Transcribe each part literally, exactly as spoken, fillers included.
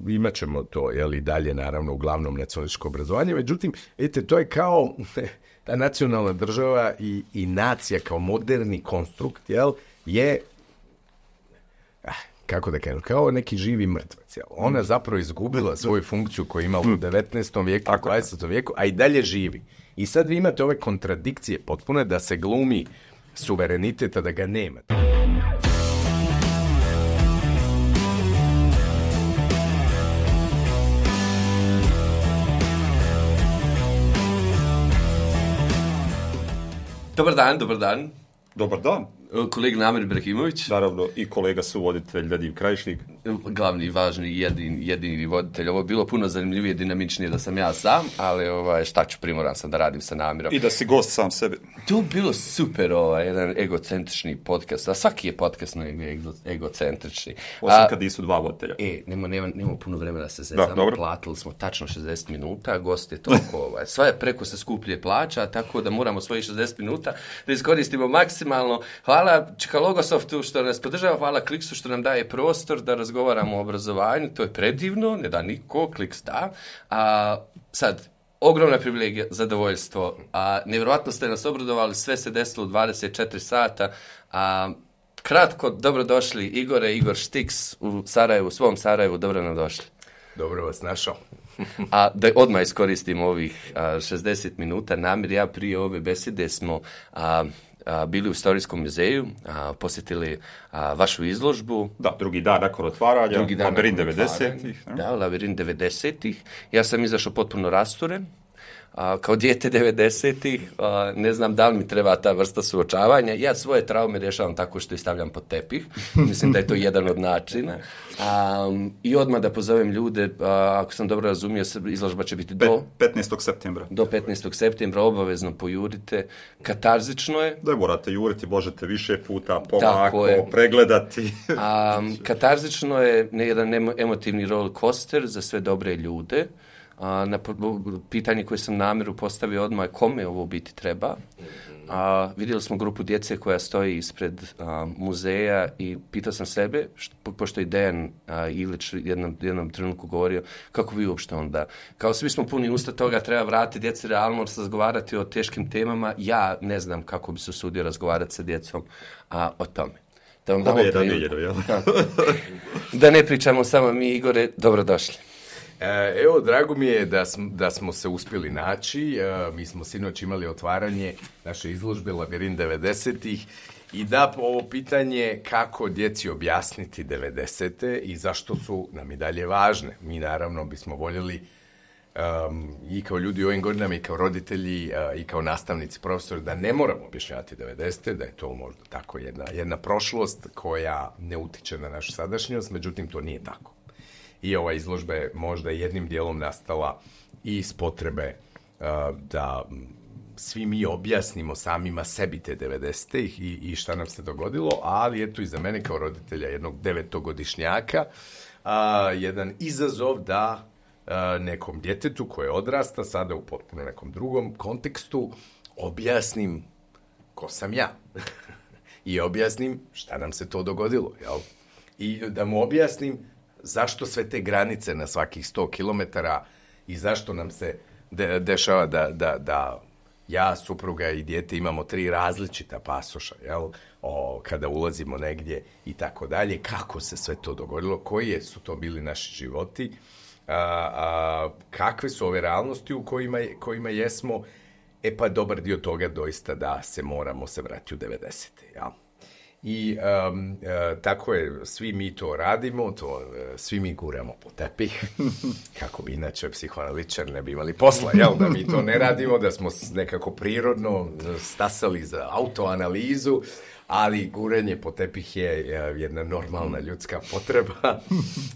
imat ćemo to, jel, i dalje, naravno, uglavnom nacionalističko obrazovanje. Međutim, vidite, to je kao ta nacionalna država i, i nacija kao moderni konstrukt, jel, je, ah, kako da kažem, kao neki živi mrtvac, jel. Ona zapravo izgubila svoju funkciju koju ima u devetnaestom vijeku, u dvadesetom vijeku, a i dalje živi. I sad vi imate ove kontradikcije potpune da se glumi suverenitet, a da ga nema. Dobar dan, dobar dan. Dobar dan. Kolega Namir Ibrahimović. Naravno, i kolega suvoditelj Vadim Krajišnik. Glavni, važni, jedini, jedini voditelj. Ovo je bilo puno zanimljivije, dinamičnije da sam ja sam, ali ovaj, šta ću, primoran sam da radim sa Namirom. I da si gost sam sebe. To je bilo super, ovaj, jedan egocentrični podcast. A svaki je podcast no ego, egocentrični. Osim a, kad nisu dva voditelja. E, nema, nema, nema puno vremena da se zezamo. Platili smo tačno šezdeset minuta, gost je toliko, ovaj, sva je preko se skuplje plaća, tako da moramo svojih šezdeset minuta da iskoristimo maksimalno. Hvala Čika Logosoftu što nas podržava, hvala Kliksu što nam daje prostor da razgovaramo o obrazovanju, to je predivno, ne da niko, Kliks da. A sad, ogromna privilegija, zadovoljstvo, a nevjerojatno ste nas obradovali, sve se desilo u dvadeset četiri sata, a kratko, dobrodošli Igore, Igor Štiks u Sarajevu, u svom Sarajevu, dobro nam došli. Dobro vas našao. A da odmah iskoristimo ovih a, šezdeset minuta, Namir, ja prije ove besede smo a, a, bili u Istorijskom muzeju, a, posjetili a, vašu izložbu. Da, drugi dan nakon otvaranja, Labirin devedesetih. Da, Labirin devedesetih. Ja sam izašao potpuno rasturen. A, kao dijete devedesetih, a, ne znam da li mi treba ta vrsta suočavanja. Ja svoje traume rješavam tako što ih stavljam pod tepih. Mislim da je to jedan od načina. A, I odmah da pozovem ljude, a, ako sam dobro razumio, izložba će biti do petnaestog septembra. Do petnaestog septembra, obavezno pojurite. Katarzično je. Da morate juriti, možete više puta, polako, pregledati. A, katarzično je jedan emotivni roller coaster za sve dobre ljude. A, na pitanje koje sam Namiru postavio odmah, kome ovo biti treba. A, vidjeli smo grupu djece koja stoji ispred a, muzeja i pitao sam sebe, što, pošto je Dejan a, Ilić jednom, jednom trenutku govorio, kako vi uopšte onda, kao svi smo puni usta toga, treba vratiti djeci realno, razgovarati o teškim temama, ja ne znam kako bi se usudio razgovarati sa djecom a, o tome. Da, vam damo priliku. Da ne pričamo samo mi, Igore, dobrodošli. Evo, drago mi je da smo, da smo se uspjeli naći. Mi smo sinoć imali otvaranje naše izložbe Labirin devedesetih i da ovo pitanje kako djeci objasniti devedesete i zašto su nam i dalje važne. Mi naravno bismo voljeli um, i kao ljudi u ovim godinama i kao roditelji uh, i kao nastavnici, profesori, da ne moramo objašnjavati devedesete, da je to možda tako jedna, jedna prošlost koja ne utiče na našu sadašnjost, međutim to nije tako. I ova izložba je možda jednim dijelom nastala i iz potrebe uh, da svi mi objasnimo samima sebi te devedesete i, i šta nam se dogodilo, ali eto i za mene kao roditelja jednog devetogodišnjaka uh, jedan izazov da uh, nekom djetetu koje odrasta sada u potpuno nekom drugom kontekstu objasnim ko sam ja i objasnim šta nam se to dogodilo, jel? I da mu objasnim zašto sve te granice na svakih sto kilometara i zašto nam se de- dešava da, da, da ja, supruga i dijete imamo tri različita pasoša, jel? O, kada ulazimo negdje i tako dalje, kako se sve to dogodilo, koji su to bili naši životi, a, a, kakve su ove realnosti u kojima, kojima jesmo, e pa dobar dio toga doista da se moramo se vratiti u devedesete, jel? I um, uh, tako je, svi mi to radimo, to, uh, svi mi guramo po tepih, kako bi inače psihoanalitičar ne bi imali posla, jel, da mi to ne radimo, da smo nekako prirodno stasali za autoanalizu, ali gurenje po tepih je uh, jedna normalna ljudska potreba.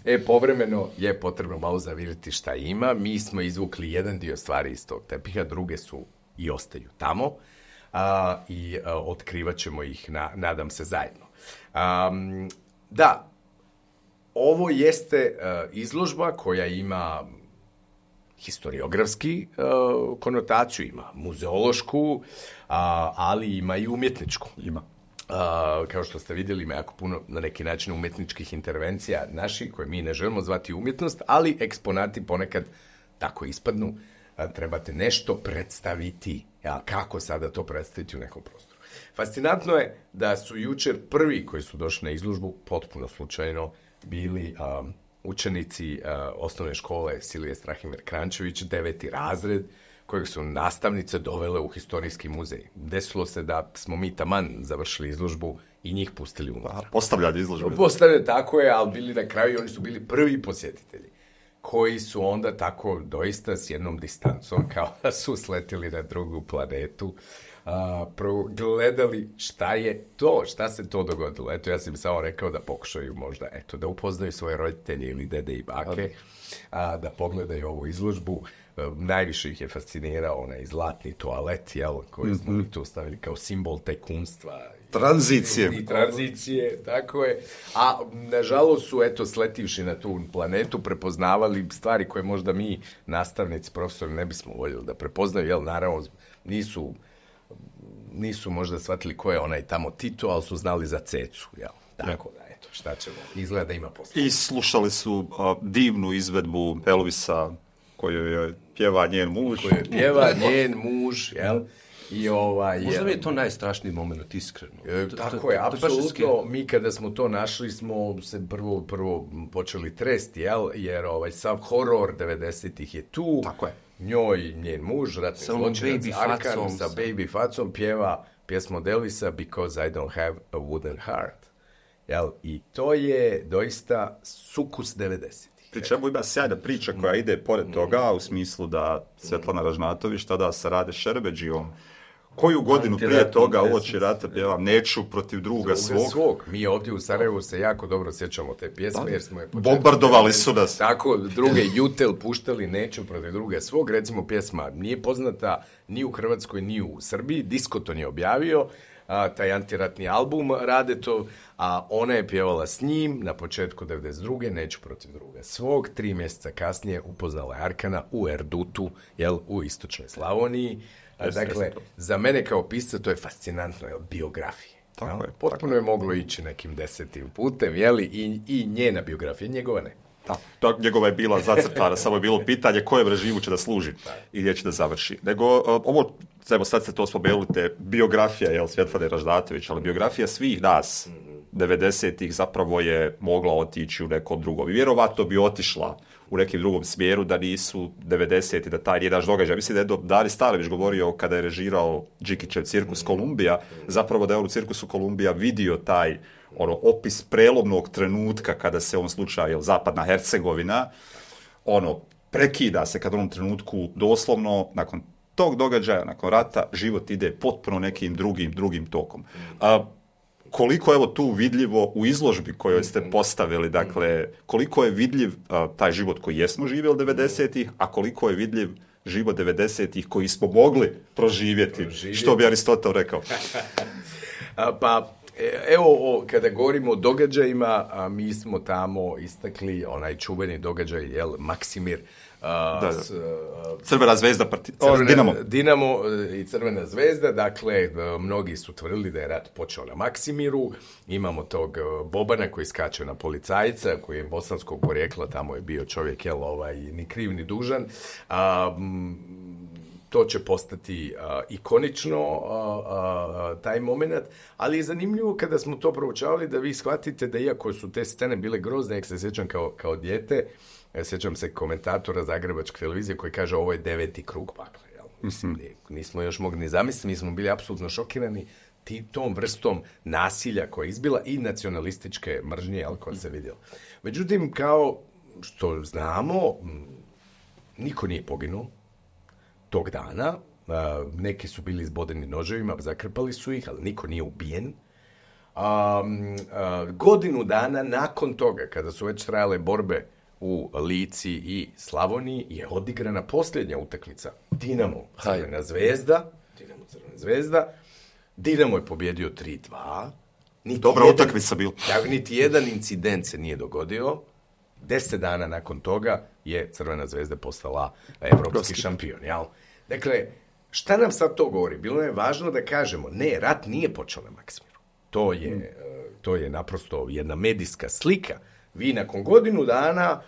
E, povremeno je potrebno malo zaviriti šta ima, mi smo izvukli jedan dio stvari iz tog tepiha, druge su i ostaju tamo. Uh, i uh, otkrivat ćemo ih, na, nadam se, zajedno. Um, da, ovo jeste uh, izložba koja ima historiografski uh, konotaciju, ima muzeološku, uh, ali ima i umjetničku. Ima. Uh, kao što ste vidjeli, ima jako puno na neki način umjetničkih intervencija naših, koje mi ne želimo zvati umjetnost, ali eksponati ponekad tako ispadnu. Uh, trebate nešto predstaviti. Ja, kako sada to predstaviti u nekom prostoru? Fascinantno je da su jučer prvi koji su došli na izložbu, potpuno slučajno, bili um, učenici uh, osnovne škole Silije Strahimir Krančević, deveti razred, kojeg su nastavnice dovele u historijski muzej. Desilo se da smo mi taman završili izložbu i njih pustili unutra. Postavljali izložbu. Postavljali, tako je, ali bili na kraju i oni su bili prvi posjetitelji, koji su onda tako doista s jednom distancom, kao da su sletili na drugu planetu, a, gledali šta je to, šta se to dogodilo. Eto, ja sam samo rekao da pokušaju možda, eto, da upoznaju svoje roditelje ili dede i bake, a, da pogledaju ovu izložbu. Najviše ih je fascinirao onaj zlatni toalet, jel, koji smo mi tu stavili kao simbol tajkunstva. Tranzicije. I tranzicije, tako je. A, nažalost, su, eto, sletivši na tu planetu, prepoznavali stvari koje možda mi, nastavnici, profesori, ne bismo voljeli da prepoznaju, jel, naravno, nisu, nisu možda shvatili ko je onaj tamo Tito, ali su znali za Cecu, jel. Tako da, eto, šta ćemo, izgleda da ima posla. I slušali su a, divnu izvedbu Elvisa, koju je pjeva njen muž. Koju je pjeva njen muž, jel? I ovaj, možda mi je to najstrašniji moment, iskreno. E, tako je, apsolutno. Mi kada smo to našli smo se prvo, prvo počeli tresti, jel? Jer ovaj, sav horor devedesetih je tu. Tako je. Njoj, njen muž, ratni zločinac Arkan, sa baby facom pjeva pjesmu od Elvisa Because I don't have a wooden heart. Jel? I to je doista sukus devedesetih. Pri čemu ima sjajna priča koja ide pored toga, u smislu da Svetlana Ražnatović tada sa Rade Šerbedžijom, koju godinu prije toga uoči rata pjevam Neću protiv druga, druga svog. svog. Mi ovdje u Sarajevu se jako dobro sjećamo te pjesme, jer smo je početku... Bombardovali su nas. Tako, druge Jutel puštali Neću protiv druga svog. Recimo, pjesma nije poznata ni u Hrvatskoj, ni u Srbiji. Diskoton je objavio a, taj antiratni album Rade to, a ona je pjevala s njim na početku devedeset druge Neću protiv druga svog. Tri mjeseca kasnije upoznala je Arkana u Erdutu, jel, u istočnoj Slavoniji. A, dakle, za mene kao pisca to je fascinantno, jel, biografije. Tako je. Potpuno je moglo ići nekim desetim putem, jeli, i, i njena biografija, njegova ne. Da, to, njegova je bila zacrtana, samo je bilo pitanje kojem režimu će da služi i gdje će da završi. Nego, ovo, evo sad ste to spomenuli, te biografija, jel, Svetlane Ražnatović, ali biografija svih nas, devedesetih, zapravo je mogla otići u nekom drugom. I vjerovatno bi otišla u nekim drugom smjeru da nisu devedeseti, da taj nije naš događaj. Mislim da je Dari Starović govorio kada je režirao Đikićev Cirkus Kolumbija, zapravo da je on u Cirkusu Kolumbija vidio taj ono, opis prelomnog trenutka kada se u ovom slučaju, jel, Zapadna Hercegovina, ono, prekida se kad u onom trenutku doslovno, nakon tog događaja, nakon rata, život ide potpuno nekim drugim, drugim tokom. A, koliko je evo tu vidljivo u izložbi kojoj ste postavili, dakle, koliko je vidljiv a, taj život koji jesmo živjeli devedesetih, a koliko je vidljiv život devedesetih koji smo mogli proživjeti, proživjeti. Što bi Aristotel rekao? a, pa, evo, o, kada govorimo o događajima, a, mi smo tamo istakli onaj čuveni događaj, jel, Maksimir, Uh, da, da. S, uh, Crvena zvezda, parti... Crvena, Dinamo. Dinamo i Crvena zvezda, dakle, mnogi su tvrdili da je rat počeo na Maksimiru. Imamo tog Bobana koji skače na policajca, koji je bosanskog porijekla, tamo je bio čovjek, jel, ovaj, ni kriv ni dužan. A, to će postati a, ikonično, a, a, taj moment, ali je zanimljivo kada smo to proučavali da vi shvatite da iako su te scene bile grozne, jak se sjećam kao, kao dijete, ja sjećam se komentatora Zagrebačke televizije koji kaže ovo je deveti krug pakla. Jel? Mislim, mm-hmm. nismo još mogli ni zamisliti, mi smo bili apsolutno šokirani ti, tom vrstom nasilja koja je izbila i nacionalističke mržnje, jel, koja se vidjela. Međutim, kao što znamo, niko nije poginuo tog dana. Neki su bili izbodeni noževima, zakrpali su ih, ali niko nije ubijen. A, a, godinu dana nakon toga, kada su već trajale borbe u Lici i Slavoniji, je odigrana posljednja utakmica. Dinamo Crvena zvezda. Dinamo Crvena zvezda. Dinamo je pobjedio tri dva. Niti Dobra jedan, utakmica bila. Niti jedan incident se nije dogodio. Deset dana nakon toga je Crvena zvezda postala evropski šampion. Jel? Dakle, šta nam sad to govori? Bilo je važno da kažemo, ne, rat nije počeo na Maksimiru. To je, mm. to je naprosto jedna medijska slika. Vi nakon godinu dana,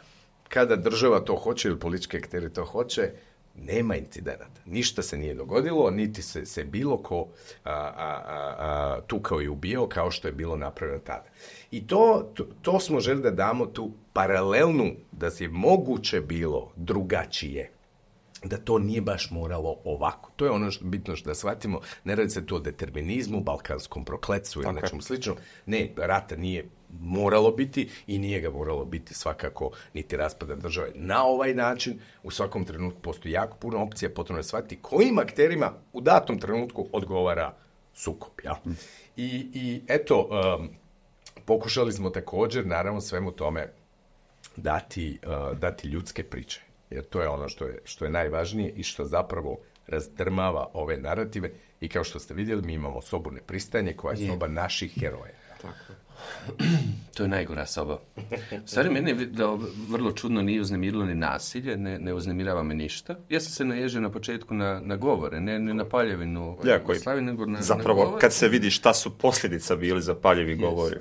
kada država to hoće ili politički akteri to hoće, nema incidenata. Ništa se nije dogodilo, niti se, se bilo ko a, a, a, tukao i ubio kao što je bilo napravljeno tada. I to, to, to smo želi da damo tu paralelnu, da je moguće bilo drugačije, da to nije baš moralo ovako. To je ono što bitno što da shvatimo. Ne radi se tu o determinizmu, balkanskom prokletstvu ili nečemu slično. Ne, rata nije moralo biti i nije ga moralo biti svakako niti raspada države na ovaj način. U svakom trenutku postoji jako puno opcija, potrebno je shvatiti kojim akterima u datom trenutku odgovara sukob. Ja? I, i eto, um, pokušali smo također, naravno, svemu tome dati, uh, dati ljudske priče. Jer to je ono što je, što je najvažnije i što zapravo razdrmava ove narative. I kao što ste vidjeli, mi imamo sobu nepristajanje koja je soba naših heroja. Tako. To je najgora soba. Stvari, mene da vrlo čudno nije uznemirilo ni nasilje, ne, ne uznemirava me ništa. Ja sam se naježio na početku na, na govore, ne, ne na paljevinu. Ja, koji, slavi, nego na, zapravo, na kad se vidi šta su posljedica bili za paljevi jeste, govori.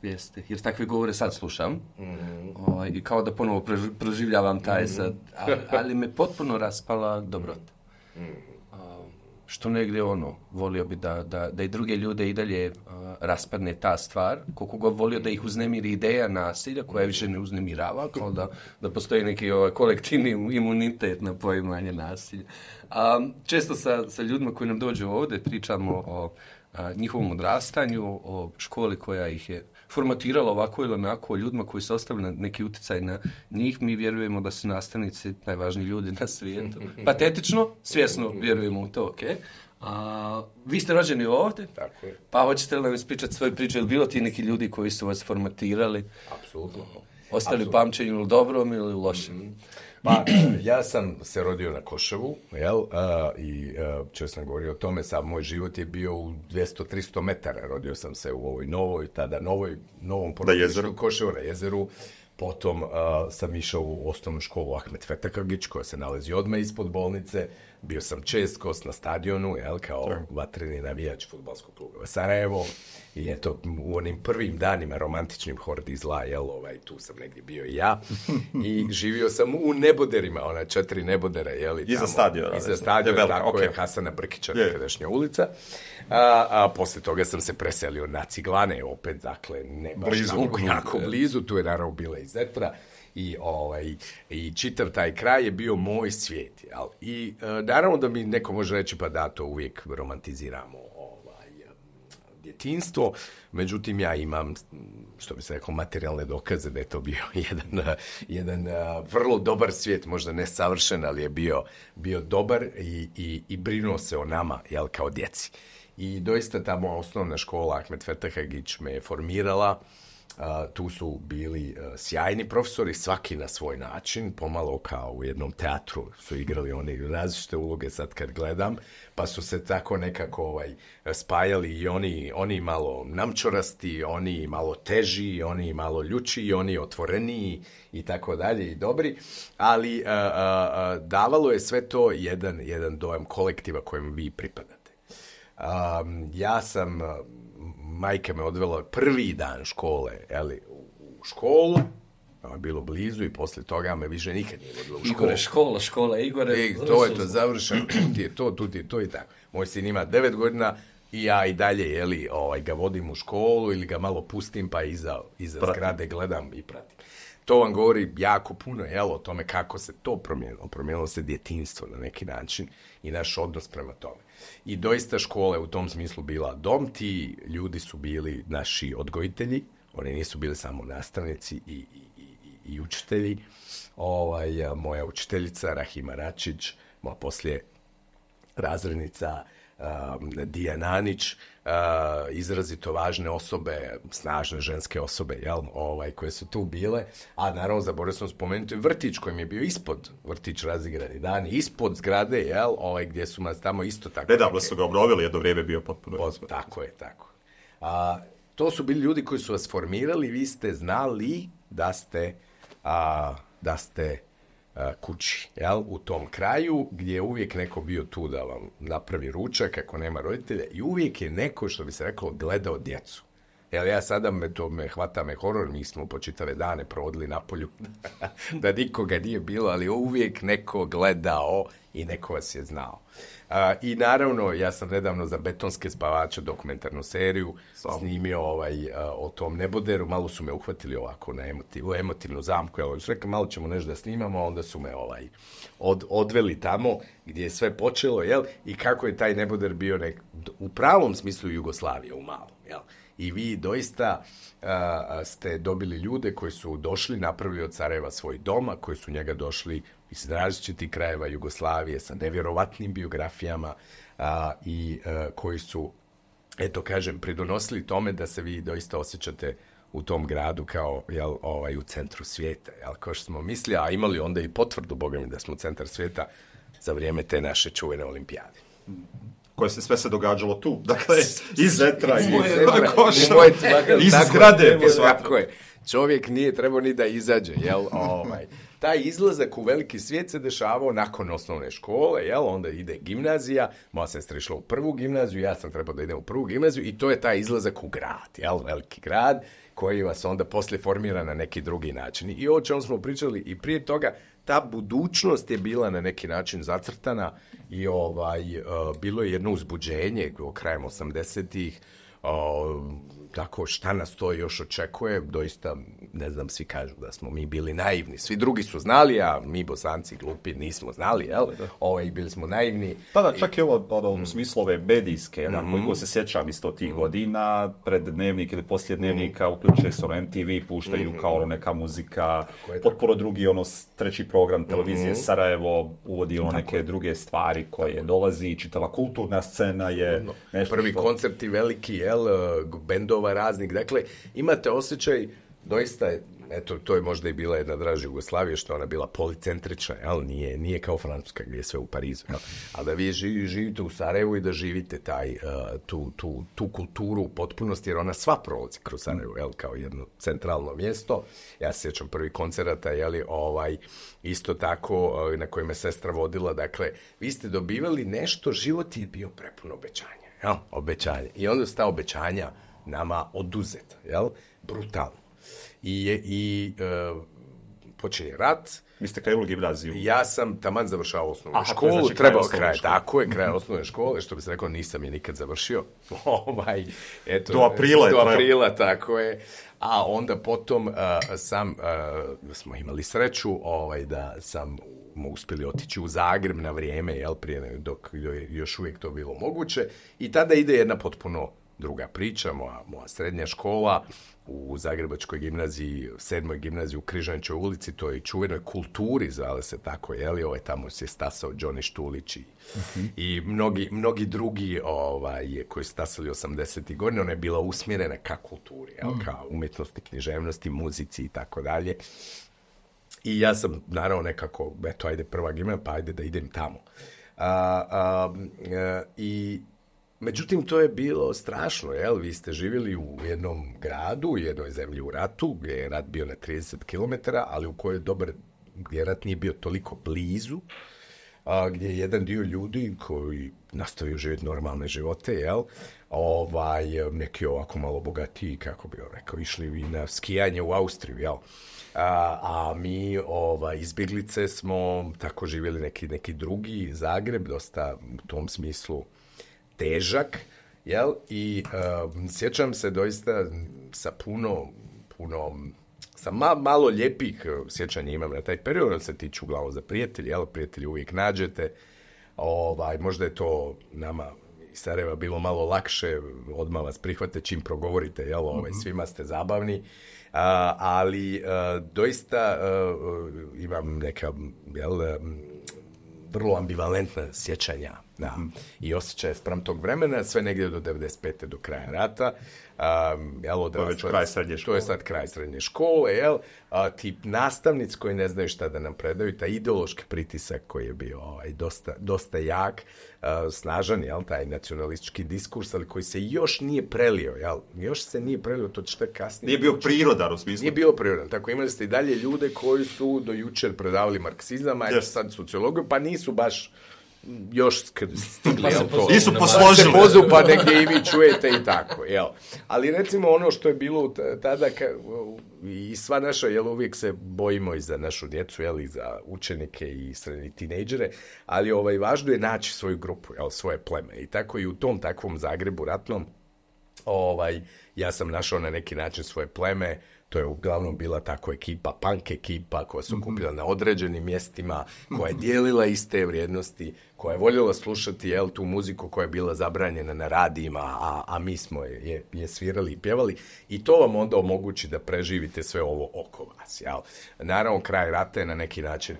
Jeste, jer takve govore sad slušam mm. o, i kao da ponovo proživljavam taj mm. sad, ali, ali me potpuno raspala dobrota. Mm. Što negdje ono, volio bi da, da, da i druge ljude i dalje uh, raspadne ta stvar, koliko god volio da ih uznemiri ideja nasilja koja više ne uznemirava, kao da, da postoji neki ovaj, kolektivni imunitet na poimanje nasilja. Um, često sa, sa ljudima koji nam dođu ovdje pričamo o a, njihovom odrastanju, o školi koja ih je formatirala ovako ili onako, o ljudima koji su ostavili neki utjecaj na njih. Mi vjerujemo da su nastavnici najvažniji ljudi na svijetu. Patetično, svjesno vjerujemo u to, ok? A, vi ste rođeni ovdje, tako je. Pa hoćete li nam ispričati svoju priču, ili bilo ti neki ljudi koji su vas formatirali? Apsolutno. Ostali u pamćenju ili dobrom ili lošem? Mm-hmm. Pa, ja sam se rodio na Koševu, jel, uh, i uh, često sam govorio o tome, sam moj život je bio u dvjesto do tristo metara, rodio sam se u ovoj novoj, tada novoj, novom porodilištu Koševu na jezeru, potom uh, sam išao u osnovnu školu Ahmet Fetakagić, koja se nalazi odmah ispod bolnice, bio sam čest gost na stadionu, jel, kao vatreni navijač fudbalskog kluba Sarajevo, i eto, u onim prvim danima romantičnim Hordi zla, jel, ovaj, tu sam negdje bio i ja, i živio sam u Neboderima, ona četiri Nebodera, jel, i iza stadiona. Iza stadiona, je tako okay. je, Hasana Brkića, nekadašnja ulica. A, a poslije toga sam se preselio na Ciglane, opet, dakle, ne baš blizu, jako, jako blizu, tu je naravno bila i Zetra, i, ovaj, i čitav taj kraj je bio moj svijet, jel? I e, naravno da mi neko može reći, pa da, to uvijek romantiziramo ovaj, djetinjstvo, međutim ja imam, što bi se rekao, materijalne dokaze da je to bio jedan, jedan uh, vrlo dobar svijet, možda ne savršen, ali je bio, bio dobar i, i, i brinuo se o nama, jel, kao djeci. I doista tamo osnovna škola Ahmet Fetakagić me je formirala. Uh, tu su bili uh, sjajni profesori, svaki na svoj način, pomalo kao u jednom teatru su igrali oni različite uloge sad kad gledam, pa su se tako nekako ovaj, spajali i oni, oni malo namčorasti, oni malo teži, oni malo ljuči, oni otvoreniji i tako dalje i dobri, ali uh, uh, davalo je sve to jedan, jedan dojam kolektiva kojem vi pripadate. Um, ja sam... Uh, majka me odvela prvi dan škole, jeli, u školu, je bilo blizu i poslije toga me više nikad nije vodila u školu. Igore, škola, škola, Igore. I to je to završeno, tu ti je to, tu ti je to i tako. Moj sin ima devet godina i ja i dalje, jeli, ovaj, ga vodim u školu ili ga malo pustim pa iza, iza zgrade gledam i pratim. To vam govori jako puno, jel, o tome kako se to promijenilo. Promijenilo se djetinjstvo na neki način i naš odnos prema tome. I doista škola je u tom smislu bila dom, ti ljudi su bili naši odgojitelji, oni nisu bili samo nastavnici i, i, i, i učitelji. Ovaj, moja učiteljica Rahima Račić, moja poslije razrednica um, Dijana Anić, uh, izrazito važne osobe, snažne ženske osobe, jel, ovaj, koje su tu bile, a naravno zaboravio sam spomenuti vrtić koji mi je bio ispod, vrtić Razigrani dani, ispod zgrade, jel, ovaj, gdje su nas tamo isto tako... Nedavno su ga obnovili, jedno vrijeme bio potpuno... Pot, tako je, tako. A, to su bili ljudi koji su vas formirali, vi ste znali da ste, a, da ste kući, jel, u tom kraju gdje je uvijek neko bio tu da vam napravi ručak ako nema roditelja i uvijek je neko, što bi se reklo, gledao djecu. Jel, ja sada me to me hvata me horor, mi smo po čitave dane provodili na polju da nikoga nije bilo, ali uvijek neko gledao i neko vas je znao. Uh, I naravno, ja sam nedavno za Betonske spavače dokumentarnu seriju Sam. snimio ovaj, uh, o tom neboderu, malo su me uhvatili ovako na emotiv, u emotivnu zamku, ja su rekli malo ćemo nešto da snimamo, onda su me ovaj, od, odveli tamo gdje je sve počelo, jel, i kako je taj neboder bio nek, u pravom smislu Jugoslavije, u malom, jel. I vi doista uh, ste dobili ljude koji su došli, napravili od Sarajeva svoj doma, koji su njega došli iz različitih krajeva Jugoslavije sa nevjerovatnim biografijama uh, i uh, koji su, eto kažem, pridonosili tome da se vi doista osjećate u tom gradu kao, jel, ovaj, u centru svijeta. Jel, kao što smo mislili, a imali onda i potvrdu, boga mi, da smo centar svijeta za vrijeme te naše čuvene olimpijade. Koje se sve se događalo tu. Dakle, iz vetra, iz, iz koša, iz tako, zgrade. Tako je. Čovjek nije trebao ni da izađe, jel? Ovaj. Taj izlazak u veliki svijet se dešavao nakon osnovne škole, jel? Onda ide gimnazija, moja sestra išla u prvu gimnaziju, ja sam trebao da idem u prvu gimnaziju i to je taj izlazak u grad, jel? Veliki grad koji vas onda poslije formira na neki drugi način. I o čemu smo pričali i prije toga, ta budućnost je bila na neki način zacrtana i ovaj, uh, bilo je jedno uzbuđenje krajem osamdesetih, uh, tako šta nas to još očekuje, doista, ne znam, svi kažu da smo mi bili naivni, svi drugi su znali, a mi Bosanci glupi nismo znali, jel? Ovaj, bili smo naivni. Pa da, čak i ovo, ono, u smislu ove medijske, mm-hmm. koliko se sjećam isto tih godina, pred dnevnik ili poslije dnevnika, uključuje se ono M T V, puštaju mm-hmm. kao ono neka muzika, potpuno drugi, ono, treći program televizije mm-hmm. Sarajevo, uvodi ono neke druge stvari koje tako dolazi, čitava kulturna scena je no. nešto. Prvi što... koncerti veliki, jel, bendova raznih, dakle, imate osjećaj, doista, eto, to je možda i bila jedna draža Jugoslavija, što ona bila policentrična, jel, nije, nije kao Francuska gdje je sve u Parizu, jel, ali da vi živi, živite u Sarajevu i da živite taj, uh, tu, tu, tu kulturu u potpunosti, jer ona sva prolazi kroz Sarajevo, jel, kao jedno centralno mjesto. Ja se sjećam prvi koncerata, jeli, ovaj, isto tako, uh, na kojima je sestra vodila, dakle, vi ste dobivali nešto, život je bio prepun obećanja, jel, obećanja. I onda su ta obećanja nama oduzeta, jel, brutalno. I, i uh, počinje rat. Vi ste krenuli gimnaziju? Ja sam taman završao osnovnu Aha, školu, znači trebao kraj, tako je, kraj osnovne škole, što bi se rekao, nisam je nikad završio. ovaj, eto, do aprila je Do aprila, tako je. A onda potom uh, sam, uh, smo imali sreću ovaj, da sam smo uspjeli otići u Zagreb na vrijeme, jel, prije dok je još uvijek to bilo moguće. I tada ide jedna potpuno druga priča, moja, moja srednja škola u Zagrebačkoj gimnaziji, sedmoj gimnaziji u Križanićoj ulici, to je čuvenoj kulturi, zvale se tako, jeli, ovaj, tamo se stasao Đoni Štulić i, uh-huh. i mnogi, mnogi drugi ovaj, koji su stasali osamdesetih godina, ona je bila usmjerena ka kulturi, jel, uh-huh. ka umjetnosti, književnosti, muzici i tako dalje. I ja sam, naravno, nekako, eto, ajde prva gimnazija, pa ajde da idem tamo. A, a, a, I... Međutim, to je bilo strašno, jel? Vi ste živjeli u jednom gradu, u jednoj zemlji u ratu, gdje je rat bio na trideset kilometara, ali u kojoj dobar, gdje rat nije bio toliko blizu, a, gdje je jedan dio ljudi koji nastavio živjeti normalne živote, jel? Ovaj, neki ovako malo bogatiji, kako bi rekao, išli na skijanje u Austriju, jel? A, a mi ovaj, izbjeglice smo tako živjeli neki, neki drugi Zagreb, dosta u tom smislu težak, jel? I uh, sjećam se doista sa puno, puno, sa ma, malo lijepih sjećanja imam na taj period, on se tiču uglavnom za prijatelji, jel? Prijatelji uvijek nađete, ovaj, možda je to nama iz Sarajeva bilo malo lakše, odmah vas prihvate čim progovorite, jel? Ovaj, svima ste zabavni, uh, ali uh, doista uh, imam neka, jel, um, vrlo ambivalentna sjećanja Da. Mm-hmm. I osjećaj sprem tog vremena, sve negdje do devedeset pete do kraja rata. Um, jel, odrasla, to je već kraj srednje škole. To je sad kraj srednje škole, jel? A, tip nastavnic koji ne znaju šta da nam predaju, taj ideološki pritisak koji je bio ovaj, dosta, dosta jak, a, snažan, jel, taj nacionalistički diskurs, ali koji se još nije prelio, jel? Još se nije prelio, to će kasnije. Nije bio prirodan u smislu. Nije bio prirodan. Tako imali ste i dalje ljude koji su do jučer predavali marksizam, a yes. sad sociologiju, pa nisu baš još stigli, pa jel to? Nisu posložili. Pa se pozu, pa negdje i vi čujete i tako, jel? Ali recimo ono što je bilo tada, ka, i sva naša, jel, uvijek se bojimo i za našu djecu, jel, i za učenike i srednje tinejdžere, ali ovaj, važno je naći svoju grupu, jel, svoje pleme. I tako i u tom takvom Zagrebu ratnom, ovaj, ja sam našao na neki način svoje pleme. To je uglavnom bila tako ekipa, punk ekipa koja su kupila na određenim mjestima, koja je dijelila iste vrijednosti, koja je voljela slušati, jel, tu muziku koja je bila zabranjena na radijima, a, a mi smo je, je svirali i pjevali. I to vam onda omogući da preživite sve ovo oko vas. Jel? Naravno, kraj rata je na neki način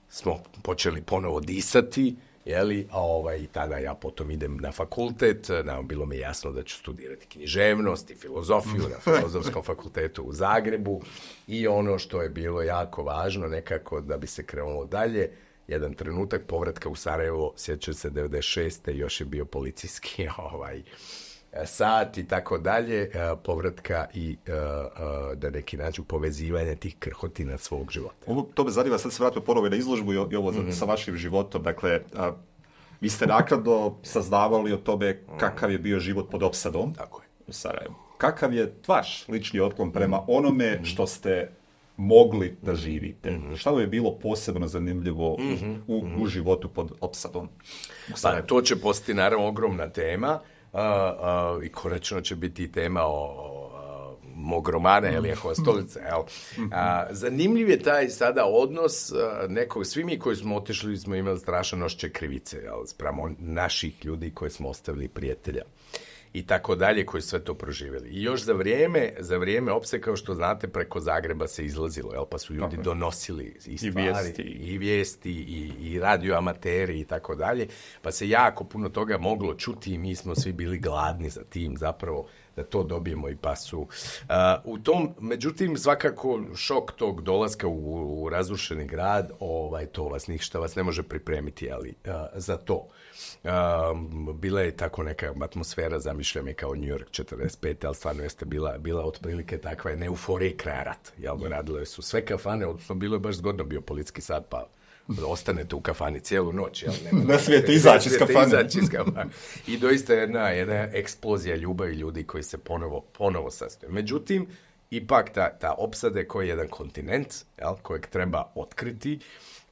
smo počeli ponovo disati, jeli, a ovaj, tada ja potom idem na fakultet, nam bilo mi jasno da ću studirati književnost i filozofiju na Filozofskom fakultetu u Zagrebu i ono što je bilo jako važno nekako da bi se krenulo dalje, jedan trenutak povratka u Sarajevo, sjećam se devedeset šeste još je bio policijski ovaj, sat i tako dalje, povratka i da neki način povezivanja tih krhotina svog života. Ovo, to me zanima, sad se vratimo ponovo na izložbu i ovo mm-hmm. sa vašim životom. Dakle, a, vi ste naknadno saznavali o tome kakav je bio život pod opsadom. Tako je. U Sarajevu. Kakav je vaš lični otklon prema onome što ste mogli da živite? Mm-hmm. Šta vam je bilo posebno zanimljivo mm-hmm. u, u životu pod opsadom? Pa, to će postati naravno ogromna tema. Uh, uh, i konačno će biti tema o, o mog romana, jel, Jehova stolica, jel. Uh, zanimljiv je taj sada odnos uh, nekog, svi mi koji smo otišli smo imali strašan osjećaj krivice, jel, spramo naših ljudi koji smo ostavili prijatelja i tako dalje, koji sve to proživjeli. I još za vrijeme, za vrijeme opse, kao što znate, preko Zagreba se izlazilo, jel, pa su ljudi okay. donosili i stvari, i vijesti, i, vijesti, i, i radioamateri i tako dalje, pa se jako puno toga moglo čuti i mi smo svi bili gladni za tim zapravo da to dobijemo i pa su. Uh, u tom, međutim, svakako šok tog dolaska u, u razrušeni grad, ovaj, to vas ništa vas ne može pripremiti, ali uh, za to. Uh, bila je tako neka atmosfera, zamišljam je kao New York četrdeset pete, ali stvarno jeste bila, bila otprilike takva jedna euforija kraja rata. Jel, radile su sve kafane, odnosno bilo je baš zgodno, bio policijski sat, pa ostanete u kafani cijelu noć. Jel, nema, ne smijete izaći iz kafane. Izaći iz kafane. I doista jedna, jedna eksplozija ljubavi ljudi koji se ponovo, ponovo sastoje. Međutim, ipak ta, ta opsade koji je jedan kontinent, jel, kojeg treba otkriti,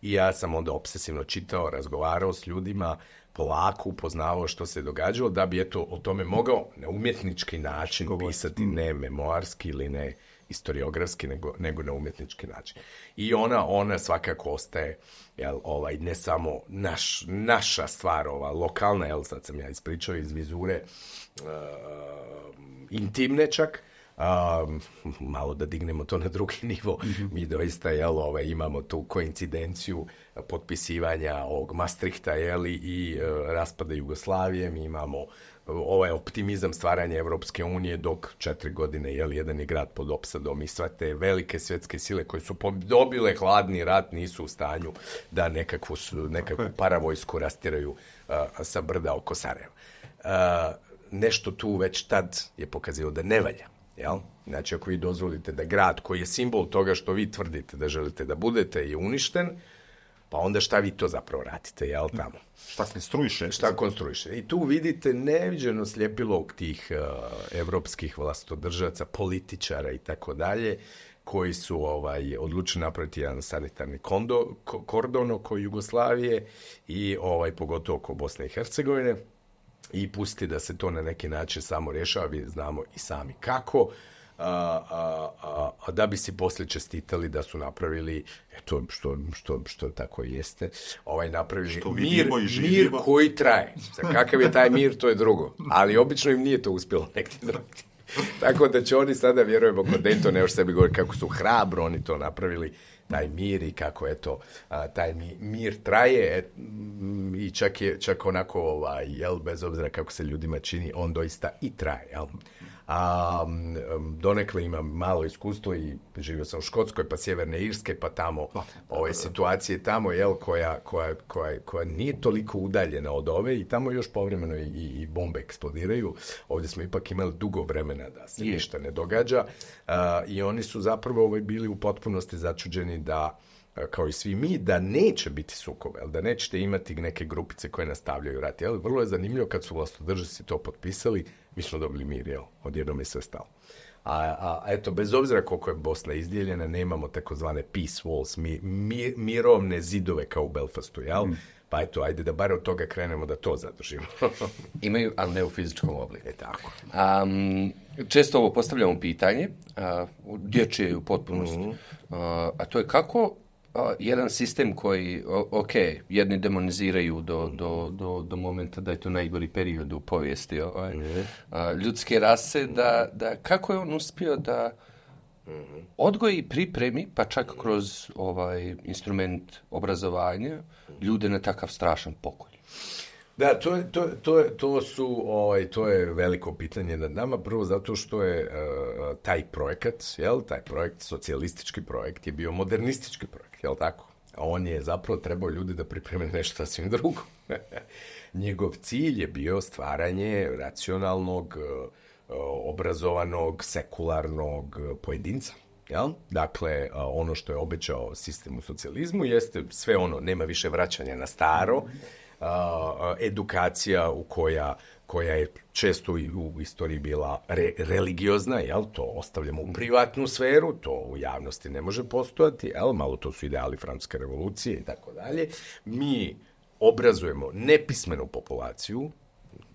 i ja sam onda obsesivno čitao, razgovarao s ljudima, polako upoznavao što se događalo, da bi eto o tome mogao na umjetnički način Govor. pisati, ne memoarski ili ne historiografski, nego, nego na umjetnički način. I ona, ona svakako ostaje, jel, ovaj, ne samo naš, naša stvar, ova lokalna, jel, sad sam ja ispričao iz vizure, uh, intimne čak, Um, malo da dignemo to na drugi nivo, mm-hmm. mi doista, jel, ovaj, imamo tu koincidenciju potpisivanja ovog Maastrichta, jel, i uh, raspada Jugoslavije, mi imamo ovaj optimizam stvaranja Evropske unije, dok četiri godine, jel, jedan je grad pod opsadom i sve te velike svjetske sile koje su dobile hladni rat nisu u stanju da nekakvu, nekakvu paravojsku rastiraju uh, sa brda oko Sarajeva. Uh, nešto tu već tad je pokazio da ne valja. Jel? Znači, ako vi dozvolite da grad koji je simbol toga što vi tvrdite da želite da budete je uništen, pa onda šta vi to zapravo radite, jel, tamo? Šta konstruiše? Šta konstruiše. I tu vidite neviđeno sljepilo tih uh, evropskih vlastodržaca, političara i tako dalje, koji su ovaj, odlučili napraviti jedan sanitarni kondo, ko, kordon oko Jugoslavije i ovaj, pogotovo oko Bosne i Hercegovine, i pustiti da se to na neki način samo rješava, vi znamo i sami kako, a, a, a, a da bi si poslije čestitali da su napravili, eto, što, što, što tako jeste, ovaj, napravili mir, mir koji traje. Za kakav je taj mir, to je drugo. Ali obično im nije to uspjelo negdje drugdje. Tako da će oni sada, vjerujemo, kod Daytona još sebi govori kako su hrabro oni to napravili, taj mir i kako eto, a, taj mi, mir traje et, m, i čak je čak onako, ovaj, jel, bez obzira kako se ljudima čini, on doista i traje, jel? A um, donekle imam malo iskustvo i živio sam u Škotskoj, pa Sjeverne Irske, pa tamo ove situacije tamo, jel, koja, koja, koja, koja nije toliko udaljena od ove i tamo još povremeno i, i bombe eksplodiraju. Ovdje smo ipak imali dugo vremena da se ništa ne događa uh, i oni su zapravo ovaj, bili u potpunosti začuđeni da, kao i svi mi, da neće biti sukoba, da nećete imati neke grupice koje nastavljaju rat. Jel? Vrlo je zanimljivo kad su vlastodržaci to potpisali, mi smo dobili mir, jel? Odjednom je sve stalo. A, a, a eto, bez obzira koliko je Bosna izdijeljena, nemamo takozvane peace walls, mi, mi, mirovne zidove kao u Belfastu, jel? Mm. Pa eto, ajde da bar od toga krenemo da to zadržimo. Imaju, ali ne u fizičkom obliku. E tako. Um, često ovo postavljamo pitanje, uh, dječje u potpunosti, mm-hmm. uh, a to je kako Uh, jedan sistem koji, ok, jedni demoniziraju do, do, do, do momenta da je to najgori period u povijesti ovaj, mm-hmm. uh, ljudske rase, da, da kako je on uspio da mm-hmm. odgoji i pripremi, pa čak kroz ovaj instrument obrazovanja, ljude na takav strašan pokolj. Da, to, je, to, to, je, to su, ovaj, to je veliko pitanje nad nama, prvo zato što je uh, taj projekat, jel, taj projekt, socijalistički projekt je bio modernistički projekt, jel tako? A on je zapravo trebao ljudi da pripreme nešto sasvim drugo. Njegov cilj je bio stvaranje racionalnog, uh, obrazovanog, sekularnog pojedinca. Jel? Dakle, uh, ono što je obećao sistem u socijalizmu jeste sve ono, nema više vraćanja na staro, Uh, edukacija u koja, koja je često u, u istoriji bila re, religiozna, jel? To ostavljamo u privatnu sferu, to u javnosti ne može postojati, jel? Malo to su ideali francuske revolucije i tako dalje. Mi obrazujemo nepismenu populaciju,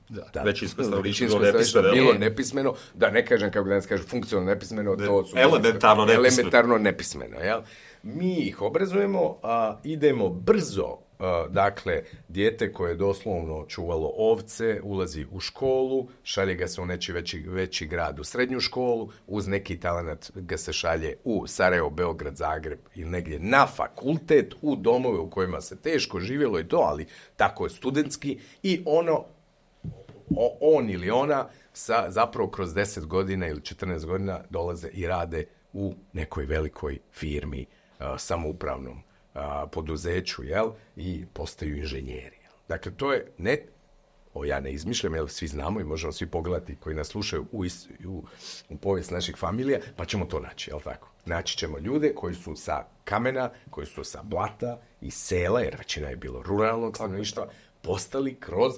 da, da, većinsko stanovništvo nepismeno, bilo nepismeno, da ne kažem kako danas kažu funkcionalno nepismeno, ne, to su elementarno nepismeno. elementarno nepismeno, jel? Mi ih obrazujemo, a idemo brzo. Uh, dakle, dijete koje je doslovno čuvalo ovce, ulazi u školu, šalje ga se u neći veći, veći grad u srednju školu, uz neki talenat ga se šalje u Sarajevo, Beograd, Zagreb ili negdje na fakultet, u domove u kojima se teško živjelo i to, ali tako je studentski i ono, o, on ili ona sa, zapravo kroz deset godina ili četrnaest godina dolaze i rade u nekoj velikoj firmi, uh, samoupravnom A, poduzeću, jel, i postaju inženjeri. Jel. Dakle, to je ne, o ja ne izmišljam, jel, svi znamo i možemo svi pogledati koji nas slušaju u, u, u povijest naših familija, pa ćemo to naći, jel tako? Naći ćemo ljude koji su sa kamena, koji su sa blata i sela, jer većina je bilo ruralnog stanovništva, postali kroz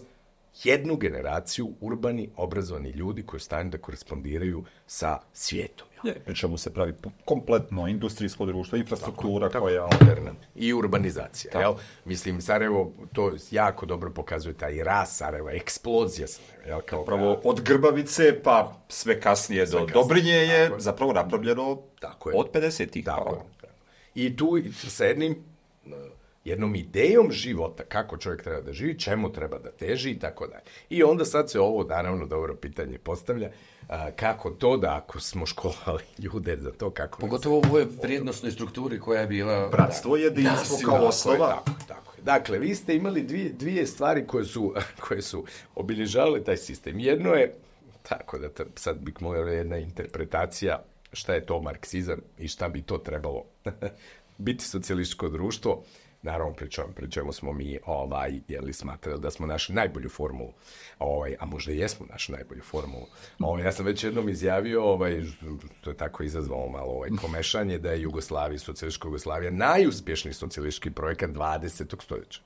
jednu generaciju urbani, obrazovani ljudi koji stanu da korespondiraju sa svijetom. Je, čemu se pravi kompletno industrijsko društvo, infrastruktura tako, koja... Tako, moderna. I urbanizacija. Jel? Mislim, Sarajevo to jako dobro pokazuje taj rast Sarajeva, eksplozija Sarajeva. Jel? Kao zapravo od Grbavice pa sve kasnije sve do kasnije. Dobrinje je tako zapravo napravljeno tako od pedesetih. Tako je. I tu sa jednim... jednom idejom života, kako čovjek treba da živi, čemu treba da teži i tako dalje. I onda sad se ovo, naravno, dobro pitanje postavlja, a, kako to da ako smo školovali ljude za to, kako... Pogotovo u ovoj vrijednostnoj strukturi koja je bila... Bratstvo, jedinstvo kao osnova. Tako, tako. Dakle, vi ste imali dvije, dvije stvari koje su, koje su obilježavale taj sistem. Jedno je, tako da sad bih mogla jedna interpretacija šta je to marksizam i šta bi to trebalo biti socijalističko društvo. Naravno, pričamo, pričamo smo mi, ovaj, jeli smatrali da smo našli najbolju formulu, ovaj, a možda i jesmo našli najbolju formulu. Ovaj, ja sam već jednom izjavio, ovaj, to je tako izazvalo malo ovaj, komešanje, da je Jugoslavija, socijalistička Jugoslavija, najuspješniji socijalistički projekat dvadesetog stoljeća.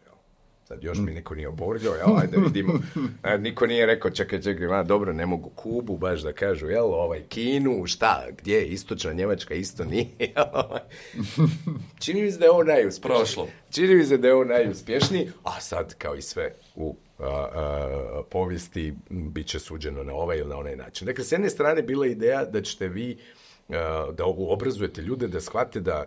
Sad još mi niko nije oborđao, jel, ajde vidimo. Niko nije rekao, čekaj, čekaj, ma, dobro, ne mogu Kubu baš da kažu, jel, ovaj, Kinu, šta, gdje je istočna Njemačka, isto nije, jel, ovaj. Čini mi se da je ovo najuspješniji. Prošlo. Čini mi se da je ovo najuspješniji, a sad, kao i sve u a, a, povijesti, bit će suđeno na ovaj ili na onaj način. Dakle, s jedne strane bila ideja da ćete vi, a, da obrazujete ljude, da shvate da,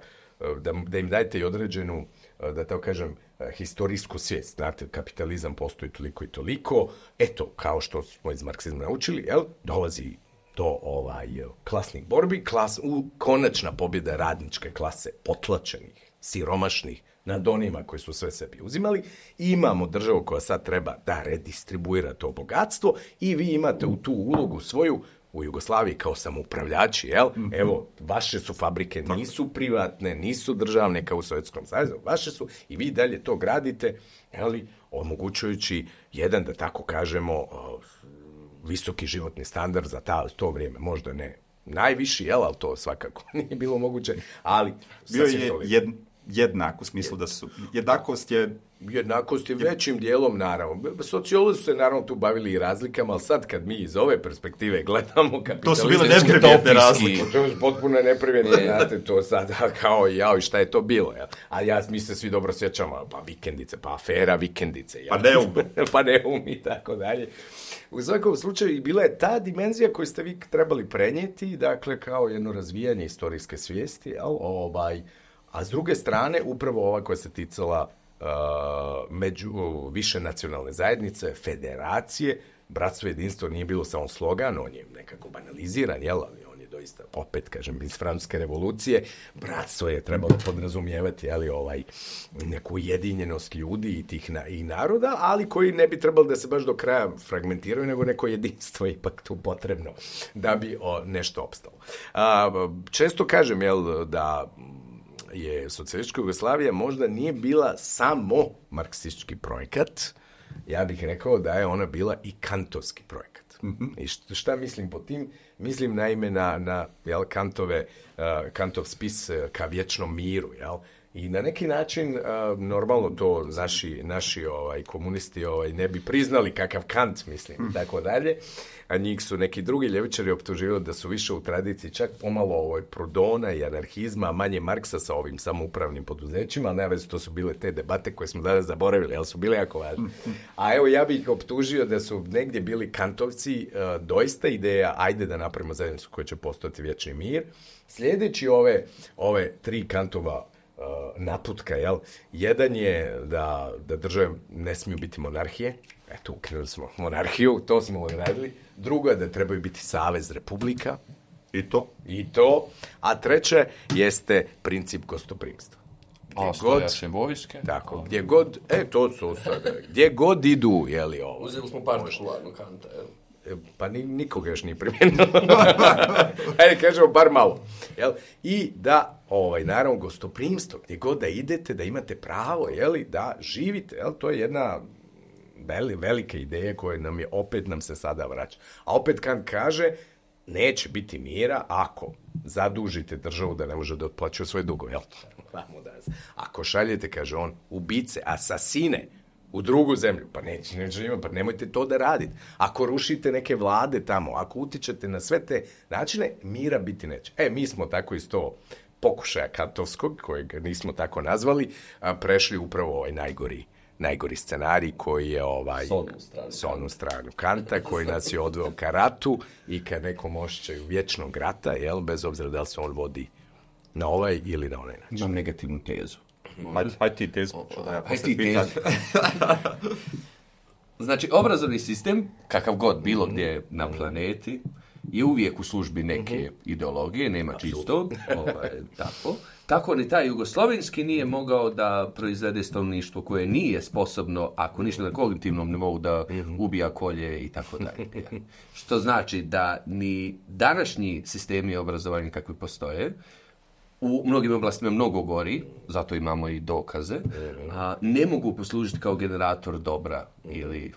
da, da im dajete i određenu, da tako kažem, historijsku svijest. Znate, kapitalizam postoji toliko i toliko. Eto, kao što smo iz marksizma naučili, jel, dolazi do ovaj, klasnih borbi, klas, u, konačna pobjeda radničke klase, potlačenih, siromašnih, nad onima koji su sve sebi uzimali. I imamo državu koja sad treba da redistribuira to bogatstvo i vi imate u tu ulogu svoju u Jugoslaviji kao samoupravljači, jel? Evo, vaše su fabrike, nisu privatne, nisu državne kao u Sovjetskom savezu, vaše su i vi dalje to gradite, jel? Omogućujući jedan, da tako kažemo, visoki životni standard za ta, to vrijeme, možda ne najviši, jel, ali to svakako nije bilo moguće, ali bio je jed, jednak u smislu da su, jednakost je jednakost je većim dijelom, naravno. Sociolozi su se naravno tu bavili i razlikama, ali sad kad mi iz ove perspektive gledamo kapitalizam... To su bile neprivjetne razlike. To je potpuno neprivjetne, znate, to sad kao jao i šta je to bilo. Jel? A ja, mi se svi dobro sjećamo, pa vikendice, pa afera vikendice. Jel? Pa neum. pa neum i tako dalje. U svakom slučaju bila je ta dimenzija koju ste vi trebali prenijeti, dakle, kao jedno razvijanje istorijske svijesti, jel? Ovaj, a s druge strane, upravo ova koja se ticala Uh, među više nacionalne zajednice, federacije, bratstvo i jedinstvo nije bilo samo slogan, on je nekako banaliziran, jel, ali on je doista, opet kažem, iz Francuske revolucije, bratstvo je trebalo podrazumijevati, jel, ovaj, neku ujedinjenost ljudi i tih na, i naroda, ali koji ne bi trebalo da se baš do kraja fragmentiraju, nego neko jedinstvo je ipak tu potrebno da bi o, nešto opstalo. Uh, često kažem, jel, da je socijalistička Jugoslavija možda nije bila samo marksistički projekat, ja bih rekao da je ona bila i kantovski projekat. Mm-hmm. I šta, šta mislim po tim? Mislim naime na, na jel, Kantove, uh, Kantov spis uh, ka vječnom miru, jel? I na neki način, uh, normalno to naši, naši ovaj, komunisti ovaj, ne bi priznali kakav Kant, mislim, mm. tako dalje, a njih su neki drugi ljevičari optuživali da su više u tradiciji čak pomalo ovoj Proudhona i anarhizma, a manje Marksa sa ovim samoupravnim poduzećima, ali najveze to su bile te debate koje smo danas zaboravili, ali su bile jako važne. A evo, ja bih ih optužio da su negdje bili kantovci, uh, doista ideja, ajde da napravimo zajednicu koja će postojati vječni mir. Sljedeći ove, ove tri Kantova naputka, jel? Jedan je da, da države ne smiju biti monarhije. Eto, ukinuli smo monarhiju, to smo odradili. Drugo je da trebaju biti savez republika. I to. I to. A treće jeste princip gostoprimstva. A stojaše vojske. Tako, gdje god, e, to su sada, gdje god idu, jeli ovo. Uzeli smo partikularno Kanta, jel? Pa ni, nikoga još nije primjenilo. Ajde, kažemo, bar malo. Jel? I da, ovaj, naravno, gostoprimstvo, gdje god da idete, da imate pravo, jeli, da živite. Jel? To je jedna veli, velika ideja koja nam je, opet nam se sada vraća. A opet Kant kaže, neće biti mira ako zadužite državu da ne može da otplaćuje svoje dugove. Jel? Ako šaljete, kaže on, ubice, asasine, u drugu zemlju, pa neće, neće ima, pa nemojte to da radite. Ako rušite neke vlade tamo, ako utičete na sve te načine, mira biti neće. E, mi smo tako iz to pokušaja kantovskog, kojeg nismo tako nazvali, a, prešli upravo ovaj najgori, najgori scenarij koji je ovaj, s onu stranu Kanta, koji nas je odveo ka ratu i ka nekom ošćaju vječnog rata, jel, bez obzira da li se on vodi na ovaj ili na onaj način. Imam negativnu tezu. Hajde haj ti tezu. Hajde ti tezu. Znači, obrazovni sistem, kakav god bilo gdje na planeti, je uvijek u službi neke uh-huh. ideologije, nema čistog, ovaj, tako. Tako ni taj jugoslovenski nije mogao da proizvede stanovništvo koje nije sposobno, ako ništa na kognitivnom nivou, da ubija, kolje i tako dalje. Što znači da ni današnji sistemi obrazovanja kakvi postoje, u mnogim oblastima mnogo gori, zato imamo i dokaze, a, ne mogu poslužiti kao generator dobra ili,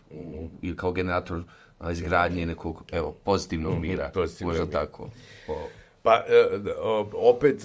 ili kao generator a, izgradnje nekog, evo, pozitivnog mira. Pozitivnog mira. Tako. O. Pa, opet,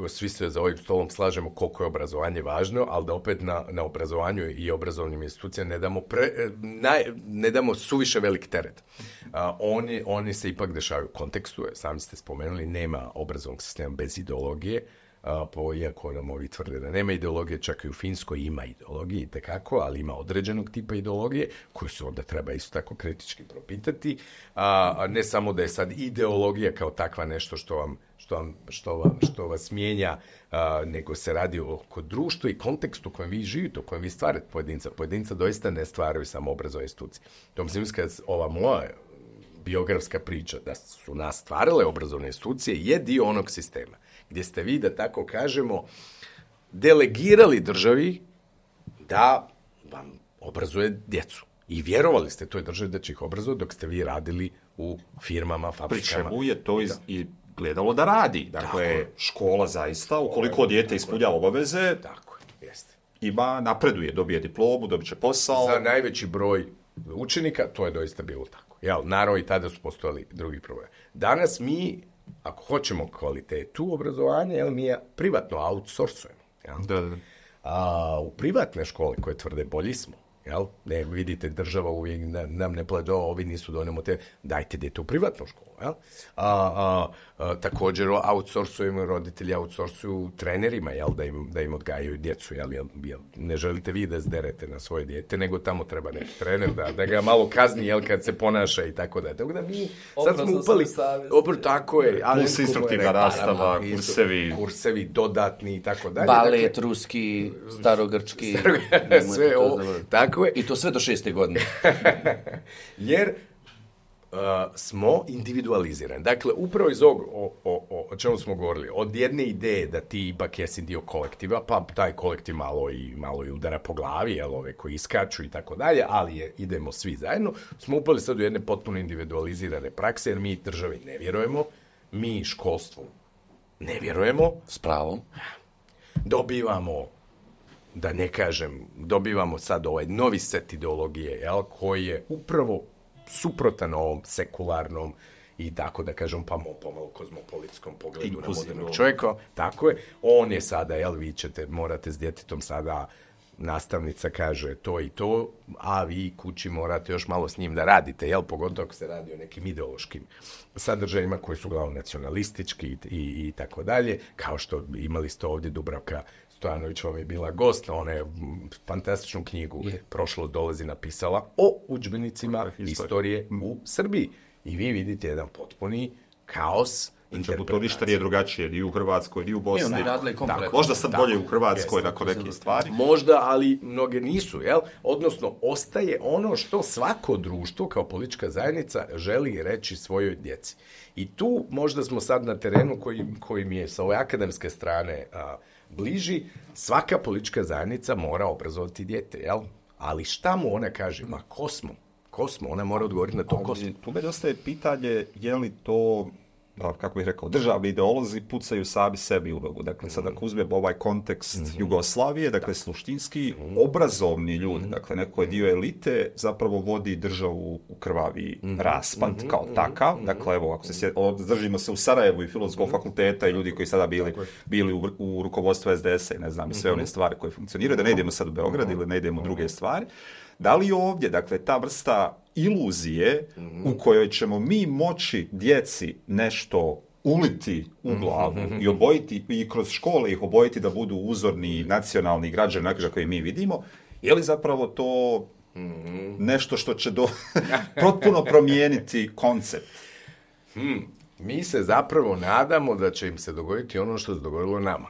svi se za ovim stolom slažemo koliko je obrazovanje važno, ali da opet na, na obrazovanju i obrazovnim institucijama ne damo, pre, naj, ne damo suviše velik teret. A, oni, oni se ipak dešavaju u kontekstu, sami ste spomenuli, nema obrazovnog sistema bez ideologije, a, po, iako nam ovi tvrde da nema ideologije, čak i u Finskoj ima ideologije itekako, ali ima određenog tipa ideologije, koju se onda treba isto tako kritički propitati, a, a ne samo da je sad ideologija kao takva nešto što vam Što, vam, što, vam, što vas mijenja, a, nego se radi oko društva i kontekstu u kojem vi živite, u kojem vi stvarate pojedinca. Pojedinca doista ne stvaraju samo obrazovne institucije. To mislim, kad ova moja biografska priča, da su nas stvarale obrazovne institucije, je dio onog sistema, gdje ste vi, da tako kažemo, delegirali državi da vam obrazuje djecu. I vjerovali ste toj državi da će ih obrazovati dok ste vi radili u firmama, fabrikama. Pri čemu je to iz, i gledalo da radi. Dakle, tako, škola zaista, ukoliko dijete ispunjava obaveze, tako, jeste. Ima, napreduje, dobije diplomu, dobit će posao. Za najveći broj učenika to je doista bilo tako. Jel, naravno i tada su postojali drugi problemi. Danas mi, ako hoćemo kvalitetu obrazovanja, jel, mi je privatno outsourcujemo. Jel? Da, da. A u privatne škole koje tvrde bolji smo, jel? Ne, vidite, država uvijek nam ne pledo, ovi nisu donemo te, dajte dete u privatnu školu. Jel? A, a, a, također outsourcujemo, roditelji outsourcuju trenerima, jel? Da, im, da im odgajaju djecu. Jel? Jel, jel? Ne želite vi da zderete na svoje dijete, nego tamo treba neki trener da, da ga malo kazni, jel, kad se ponaša i tako da. Tako da mi sad smo upali... Opr, tako je. Plus instruktivna rastava, kursevi. Kursevi dodatni i tako dalje. Balet, dakle, ruski, starogrčki. Sve ovo, tako je. I to sve do šeste godine. Jer uh, smo individualizirani. Dakle, upravo iz ovog, o, o, o, o čemu smo govorili, od jedne ideje da ti ipak jesi dio kolektiva, pa taj kolektiv malo i, malo i udara po glavi, jel, ove koji iskaču i tako dalje, ali je, idemo svi zajedno, smo upali sad u jedne potpuno individualizirane prakse, jer mi državi ne vjerujemo, mi školstvu ne vjerujemo. S pravom. Dobivamo, da ne kažem, dobivamo sad ovaj novi set ideologije, jel, koji je upravo suprotan ovom sekularnom i tako da kažem pa pomalo kozmopolitskom pogledu na modernog čovjeka. Tako je. On je sada, jel, vi ćete, morate s djetetom sada, nastavnica kaže to i to, a vi kući morate još malo s njim da radite, jel, pogotovo ako se radi o nekim ideološkim sadržajima koji su uglavnom nacionalistički i, i, i tako dalje, kao što imali ste ovdje Dubravka Stojanović vam je bila gost, ona je fantastičnu knjigu je. Prošlost dolazi napisala o udžbenicima istorije u Srbiji. I vi vidite jedan potpuni kaos interpretacije. To ništa nije drugačije, ni u Hrvatskoj, ni u Bosni. Tako, možda sad tako, bolje u Hrvatskoj jest, nakon nekih stvari. Možda, ali mnoge nisu, jel? Odnosno, ostaje ono što svako društvo kao politička zajednica želi reći svojoj djeci. I tu možda smo sad na terenu koji, koji mi je sa ove akademske strane a, bliži, svaka politička zajednica mora obrazovati dijete, jel? Ali šta mu ona kaže? Ma ko smo? Ko smo? Ona mora odgovoriti na to ko smo. Tu me ostaje pitanje, je li to, kako bih rekao, državni ideolozi pucaju sami sebi u nogu. Dakle, sad ako uzmemo ovaj kontekst mm-hmm. Jugoslavije, dakle, suštinski mm-hmm. obrazovni ljudi, mm-hmm. dakle, neko je dio elite, zapravo vodi državu u krvavi mm-hmm. raspad mm-hmm. kao takav. Mm-hmm. Dakle, evo, ako se sjed, držimo se u Sarajevu i Filozofskog mm-hmm. fakulteta i ljudi koji sada bili, bili u, u rukovodstvu es de es a i ne znam, i sve mm-hmm. one stvari koje funkcioniraju, da ne idemo sad u Beograd mm-hmm. ili ne idemo u druge stvari. Da li ovdje, dakle, ta vrsta iluzije mm-hmm. u kojoj ćemo mi moći djeci nešto uliti u glavu mm-hmm. i obojiti, i kroz škole ih obojiti da budu uzorni nacionalni građani, onako koje mi vidimo, je li zapravo to mm-hmm. nešto što će do, potpuno promijeniti koncept? Hmm. Mi se zapravo nadamo da će im se dogoditi ono što se dogodilo nama.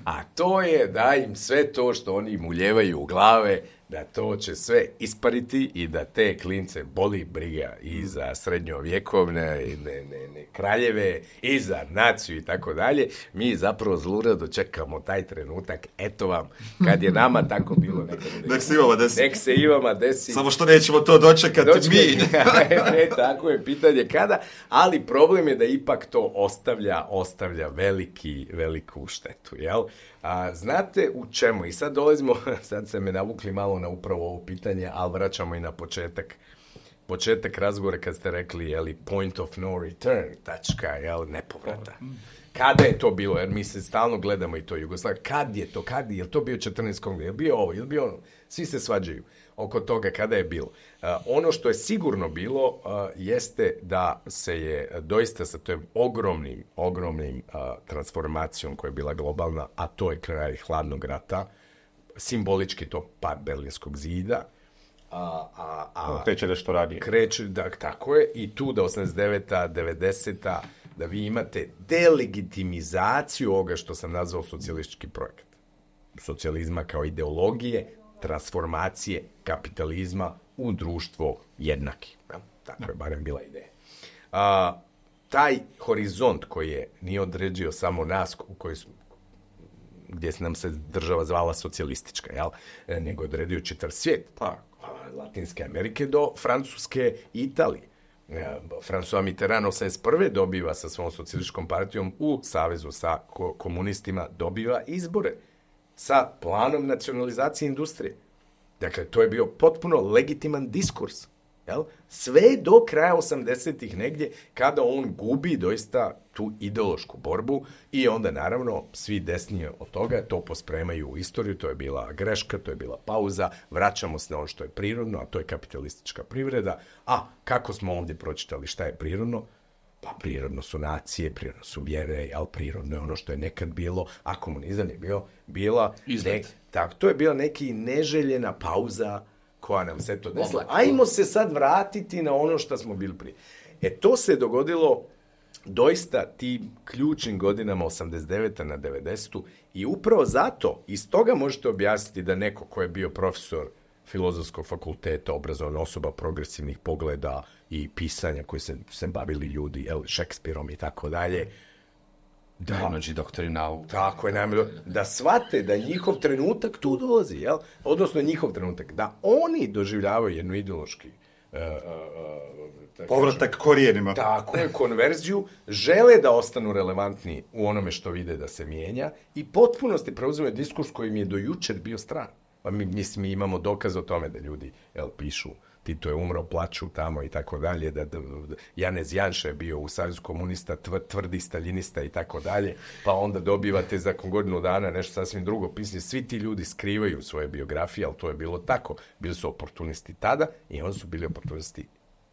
A to je da im sve to što oni im uljevaju u glave, da to će sve ispariti i da te klince boli briga i za srednjovjekovne i ne, ne, ne, kraljeve i za naciju i tako dalje. Mi zapravo zlurado čekamo taj trenutak, eto vam, kad je nama tako bilo nekada. Nek se i vama desi. Nek se i vama desi. Samo što nećemo to dočekati Dočekaj. mi. Ne, tako je, pitanje kada, ali problem je da ipak to ostavlja, ostavlja veliki, veliku štetu, jel? A, znate u čemu? I sad dolazimo, sad se me navukli malo na upravo ovo pitanje, ali vraćamo i na početak. Početak razgovora kad ste rekli, jeli, point of no return, tačka, jel, nepovrata. Kada je to bilo? Jer mi se stalno gledamo i to Jugoslavije. Kad je to? Kad je? Je li to bio četrnaesti kongres? Je li bio ovo? Je li bio ono? Svi se svađaju oko toga kada je bilo. Uh, ono što je sigurno bilo uh, jeste da se je doista sa tom ogromnim, ogromnim uh, transformacijom koja je bila globalna, a to je kraj hladnog rata, simbolički to pad Berlinskog zida, A, a, a, kreće nešto radije. Kreće, da, tako je, i tu da osamdeset deveta, devedeseta, da vi imate delegitimizaciju ovoga što sam nazvao socijalistički projekat. Socijalizma kao ideologije, transformacije kapitalizma u društvo jednaki. Tako je barem bila ideja. A, taj horizont koji je nije određio samo nas u kojoj smo, gdje nam se država zvala socijalistička, jel? Nego je odredio čitav svijet. Pa, Latinske Amerike do Francuske i Italije. François Mitterrand osamdeset prve dobiva sa svom socijalističkom partijom u savezu sa komunistima, dobiva izbore sa planom nacionalizacije industrije. Dakle, to je bio potpuno legitiman diskurs. Jel? Sve do kraja osamdesetih negdje, kada on gubi doista tu ideološku borbu i onda naravno svi desnije od toga to pospremaju u istoriju, to je bila greška, to je bila pauza, vraćamo se na ono što je prirodno, a to je kapitalistička privreda. A kako smo ovdje pročitali šta je prirodno? Pa prirodno su nacije, prirodno su vjere, jel? Prirodno je ono što je nekad bilo, a komunizam je bio, bila ne, tak, to je bila neki neželjena pauza koja nam se to desila. Ajmo se sad vratiti na ono što smo bili prije. E to se dogodilo doista tim ključnim godinama osamdeset devete na devedesetu i upravo zato, iz toga možete objasniti da neko ko je bio profesor Filozofskog fakulteta, obrazovana osoba progresivnih pogleda i pisanja koji se, se bavili ljudi, jel, Šekspirom i tako dalje, da, najmlađi doktori nauka. Tako je, najmlađi, da shvate da njihov trenutak tu dolazi, jel? Odnosno njihov trenutak, da oni doživljavaju jednu ideološki uh, uh, povratak korijenima. Tako je, konverziju, žele da ostanu relevantni u onome što vide da se mijenja i potpunosti preuzimaju diskurs koji im je do jučer bio stran. Pa mi, mislim, mi imamo dokaz o tome da ljudi, jel, pišu Tito je umro, plaču tamo i tako dalje, da, da, da Janez Janša je bio u Savezu komunista, tvr, tvrdi staljinista i tako dalje, pa onda dobivate za godinu dana nešto sasvim drugo pisanje. Svi ti ljudi skrivaju svoje biografije, ali to je bilo tako. Bili su oportunisti tada i oni su bili oportunisti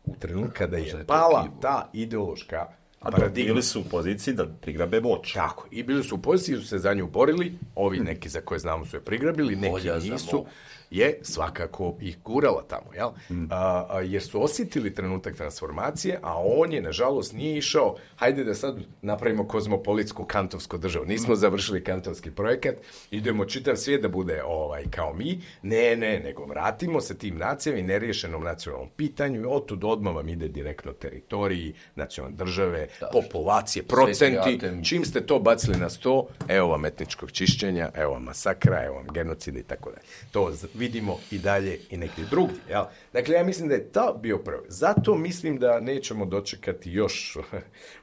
u trenutku kada je pala ta ideološka paradigma. A bili su u poziciji da prigrabe moć. Tako, i bili su u poziciji, su se za nju borili, ovi neki za koje znamo su je prigrabili, neki nisu, je svakako ih gurala tamo, jel? Mm. A, a, jer su osjetili trenutak transformacije, a on je, nažalost, nije išao, hajde da sad napravimo kozmopolitsku kantovsku državu. Nismo mm. završili kantovski projekat, idemo čitav svijet da bude ovaj, kao mi, ne, ne, nego vratimo se tim nacijama i neriješenom nacionalnom pitanju i otud odmah vam ide direktno teritoriji, nacionalne države, da, populacije, procenti, čim ste to bacili na sto, evo vam etničkog čišćenja, evo vam masakra, evo vam genocida i tako dalje. To vidimo i dalje i negdje drugdje. Jel? Dakle, ja mislim da je to bio prvi. Zato mislim da nećemo dočekati još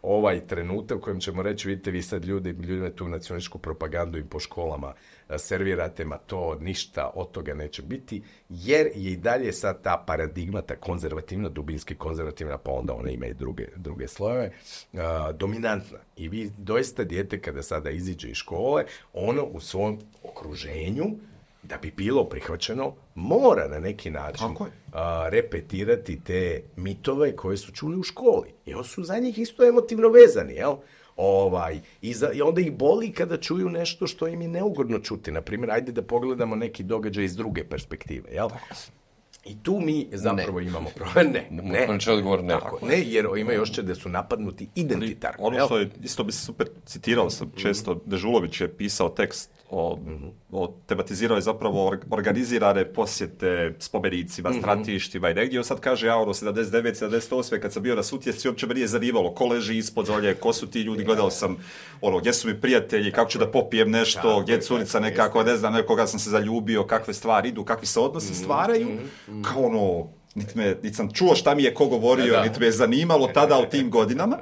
ovaj trenutak u kojem ćemo reći, vidite vi sad ljudi, ljudima tu nacionalističku propagandu i po školama servirate, ma to ništa od toga neće biti, jer je i dalje sad ta paradigma, ta konzervativna, dubinski konzervativna, pa onda ona ima i druge, druge slojeve, uh, dominantna. I vi doista dijete kada sada iziđe iz škole, ono u svom okruženju, da bi bilo prihvaćeno, mora na neki način a, repetirati te mitove koje su čuli u školi. I oni su za njih isto emotivno vezani, jel? Ovaj, i, za, I onda ih boli kada čuju nešto što im je neugodno čuti. Naprimjer, ajde da pogledamo neki događaj iz druge perspektive, jel? I tu mi zapravo ne. imamo problem. Ne, ne. ne. Odgovor, ne. Tako, ne, jer ima još će da su napadnuti identitarno. Ono što je, isto bi se super citirao sam često, mm-hmm. Dežulović je pisao tekst o, mm-hmm. o tematizirao je zapravo organizirane posjete spomenicima, mm-hmm. stratištima i negdje. On sad kaže, ja ono, sedamdeset devete sedamdeset osme kad sam bio na Sutjesci, uopće me nije zanimalo ko leži ispod zolje, ko su ti ljudi, gledao sam ono, gdje su mi prijatelji, kako ću da popijem nešto, gdje je curica nekako, ne znam, nekoga sam se zaljubio, kakve stvari idu, kakvi se odnosi stvaraju. Kao ono, niti, me, niti sam čuo šta mi je ko govorio, da. Niti me je zanimalo tada u tim godinama.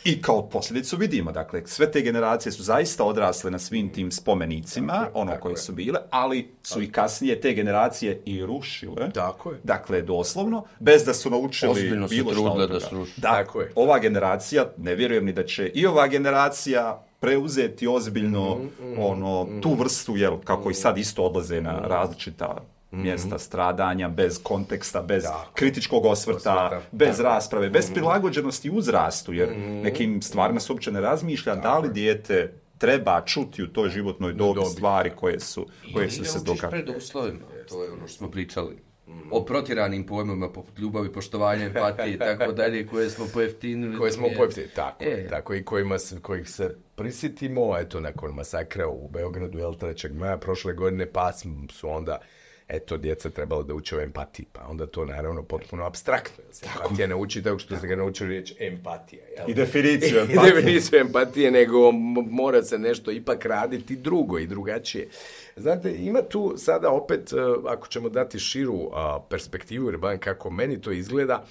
I kao posljedicu vidimo, dakle, sve te generacije su zaista odrasle na svim tim spomenicima, tako, ono tako koje je. Su bile, ali su tako. I kasnije te generacije i rušile. Tako je. Dakle, doslovno, bez da su naučili Ozbiljno bilo što od da toga. Tako je. Ova generacija, ne vjerujem ni da će i ova generacija preuzeti ozbiljno mm, mm, ono, mm, tu vrstu, jel, kako mm, i sad isto odlaze na različita mjesta mm-hmm. stradanja, bez konteksta, bez da. kritičkog osvrta, osvrta. bez da. rasprave, bez mm-hmm. prilagođenosti uzrastu, jer mm-hmm. nekim stvarima se uopće ne razmišlja da, da li dijete treba čuti u toj životnoj dobi stvari koje su, koje su se događale. Pred uslovima, to je ono što smo pričali. Mm-hmm. O protiranim pojmovima poput ljubavi, poštovanja, empatije i tako dalje, koje smo pojeftinili. Koje smo pojeftinili, tako, e. tako i kojima se, kojih se prisjetimo, eto, nakon masakra u Beogradu, jel, trećeg maja prošle godine, pa su onda eto, djeca trebalo da uče o empatiji, pa onda to naravno potpuno apstraktno. Empatija ne uči tako što ste ga naučili reći empatija. Jel? I definiciju empatije. I definiciju empatije, nego mora se nešto ipak raditi drugo i drugačije. Znate, ima tu sada opet, ako ćemo dati širu perspektivu, jer baš kako meni to izgleda,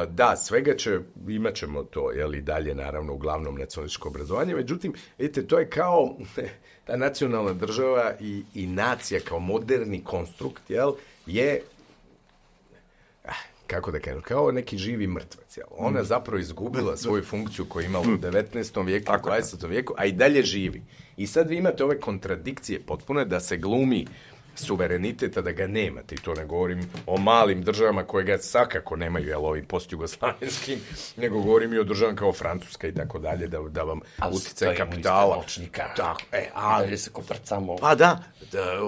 da, svega će, imat ćemo to, jel, i dalje, naravno, uglavnom nacionalističko obrazovanje, međutim, vidite, to je kao ta nacionalna država i, i nacija kao moderni konstrukt, jel, je, kako da kažem, kao neki živi mrtvac, jel. Ona zapravo izgubila svoju funkciju koju je imala u devetnaestom vijeku, u dvadesetom vijeku, a i dalje živi. I sad vi imate ove kontradikcije potpune da se glumi suvereniteta, da ga nemate, i to ne govorim o malim državama koje ga svakako nemaju, jel, ovim postjugoslavenskim, nego govorim i o državama kao Francuska i tako dalje, da, da vam uticaj kapitala. Tako, e, ali se koprcamo. Pa da, da,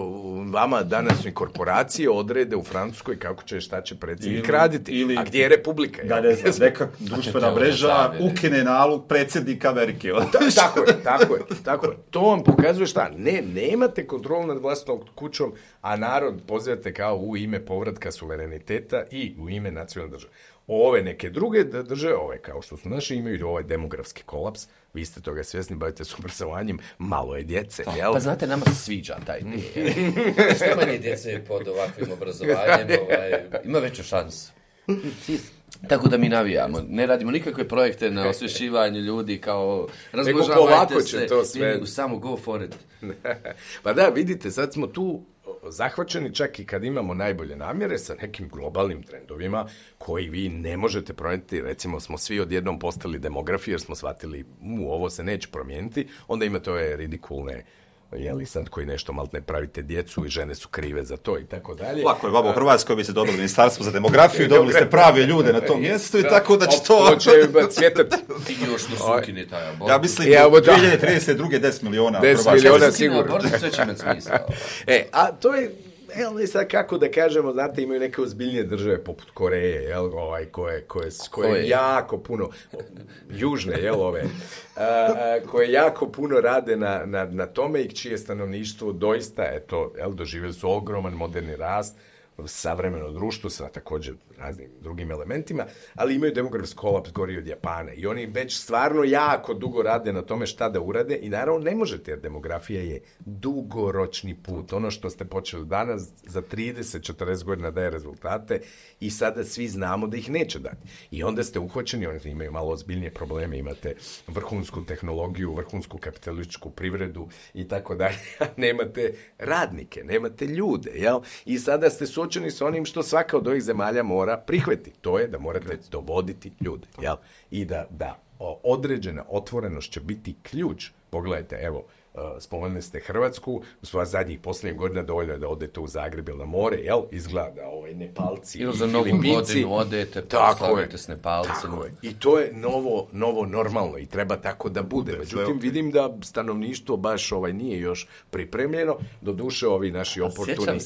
vama današnje korporacije odrede u Francuskoj kako će, šta će predsjednik raditi. Ili, a gdje je Republika? Da, ne znam, neka društvena mreža ukine nalog predsjednika Amerike. Da, tako je, tako je, tako je. To vam pokazuje šta? Ne, nemate kontrolu nad vlastnom kućom, a narod pozivate kao u ime povratka suvereniteta i u ime nacionalne države. Ove neke druge države, ove kao što su naše, imaju ovaj demografski kolaps. Vi ste toga svjesni, bavite s obrazovanjem, malo je djece, jel? Pa znate, nama se sviđa taj ide. Što manje djece pod ovakvim obrazovanjem, ovaj, ima veću šansu. Tako da mi navijamo. Ne radimo nikakve projekte na osvješćivanju ljudi kao razmnožavajte se. To sve. Ne, samo go for it. Pa da, vidite, sad smo tu zahvaćeni čak i kad imamo najbolje namjere sa nekim globalnim trendovima koji vi ne možete promijeniti. Recimo smo svi odjednom postali demografi jer smo shvatili mu ovo se neće promijeniti. Onda imate ove ridikulne, jeli sad koji nešto malo ne pravite djecu i žene su krive za to i tako dalje. Lako je, vama u Hrvatskoj bi se dobili ministarstvo za demografiju, dobili ste prave ljude na tom mjestu i tako da će to... To će cvjetati. Ti još da su ukine taj abort. Ja mislim da u dvije hiljade trideset druge deset miliona. deset miliona sigurno. Abort sve će imati smisla. E, a to je... Evo, sad kako da kažemo, znate, imaju neke ozbiljnije države poput Koreje, jel, ovaj, koje, koje, koje jako puno, južne, jel, ove, a, a, koje jako puno rade na, na, na tome i čije stanovništvo doista, eto, jel, doživjeli su ogroman moderni rast, savremeno društvo sa također raznim drugim elementima, ali imaju demografski kolaps gori od Japana i oni već stvarno jako dugo rade na tome šta da urade i naravno ne možete jer demografija je dugoročni put. Ono što ste počeli danas za trideset do četrdeset godina daje rezultate i sada svi znamo da ih neće dati. I onda ste uhvaćeni, oni imaju malo ozbiljnije probleme, imate vrhunsku tehnologiju, vrhunsku kapitalističku privredu i tako dalje, a nemate radnike, nemate ljude, jel? I sada ste suočeni s onim što svaka od ovih zemalja mora prihvatiti. To je da morate dovoditi ljude, jel? I da, da određena otvorenost će biti ključ. Pogledajte, evo, spomenuli ste Hrvatsku, u sva zadnjih posljednjih godina dovoljno je da odete u Zagreb ili na more, jel? Izgleda ovaj Nepalci, ili za novu godinu odete, pa slavite s Nepalcima. Tako je. I to je novo, novo normalno i treba tako da bude. Međutim, vidim da stanovništvo baš ovaj nije još pripremljeno. Doduše, ovi naši oportuni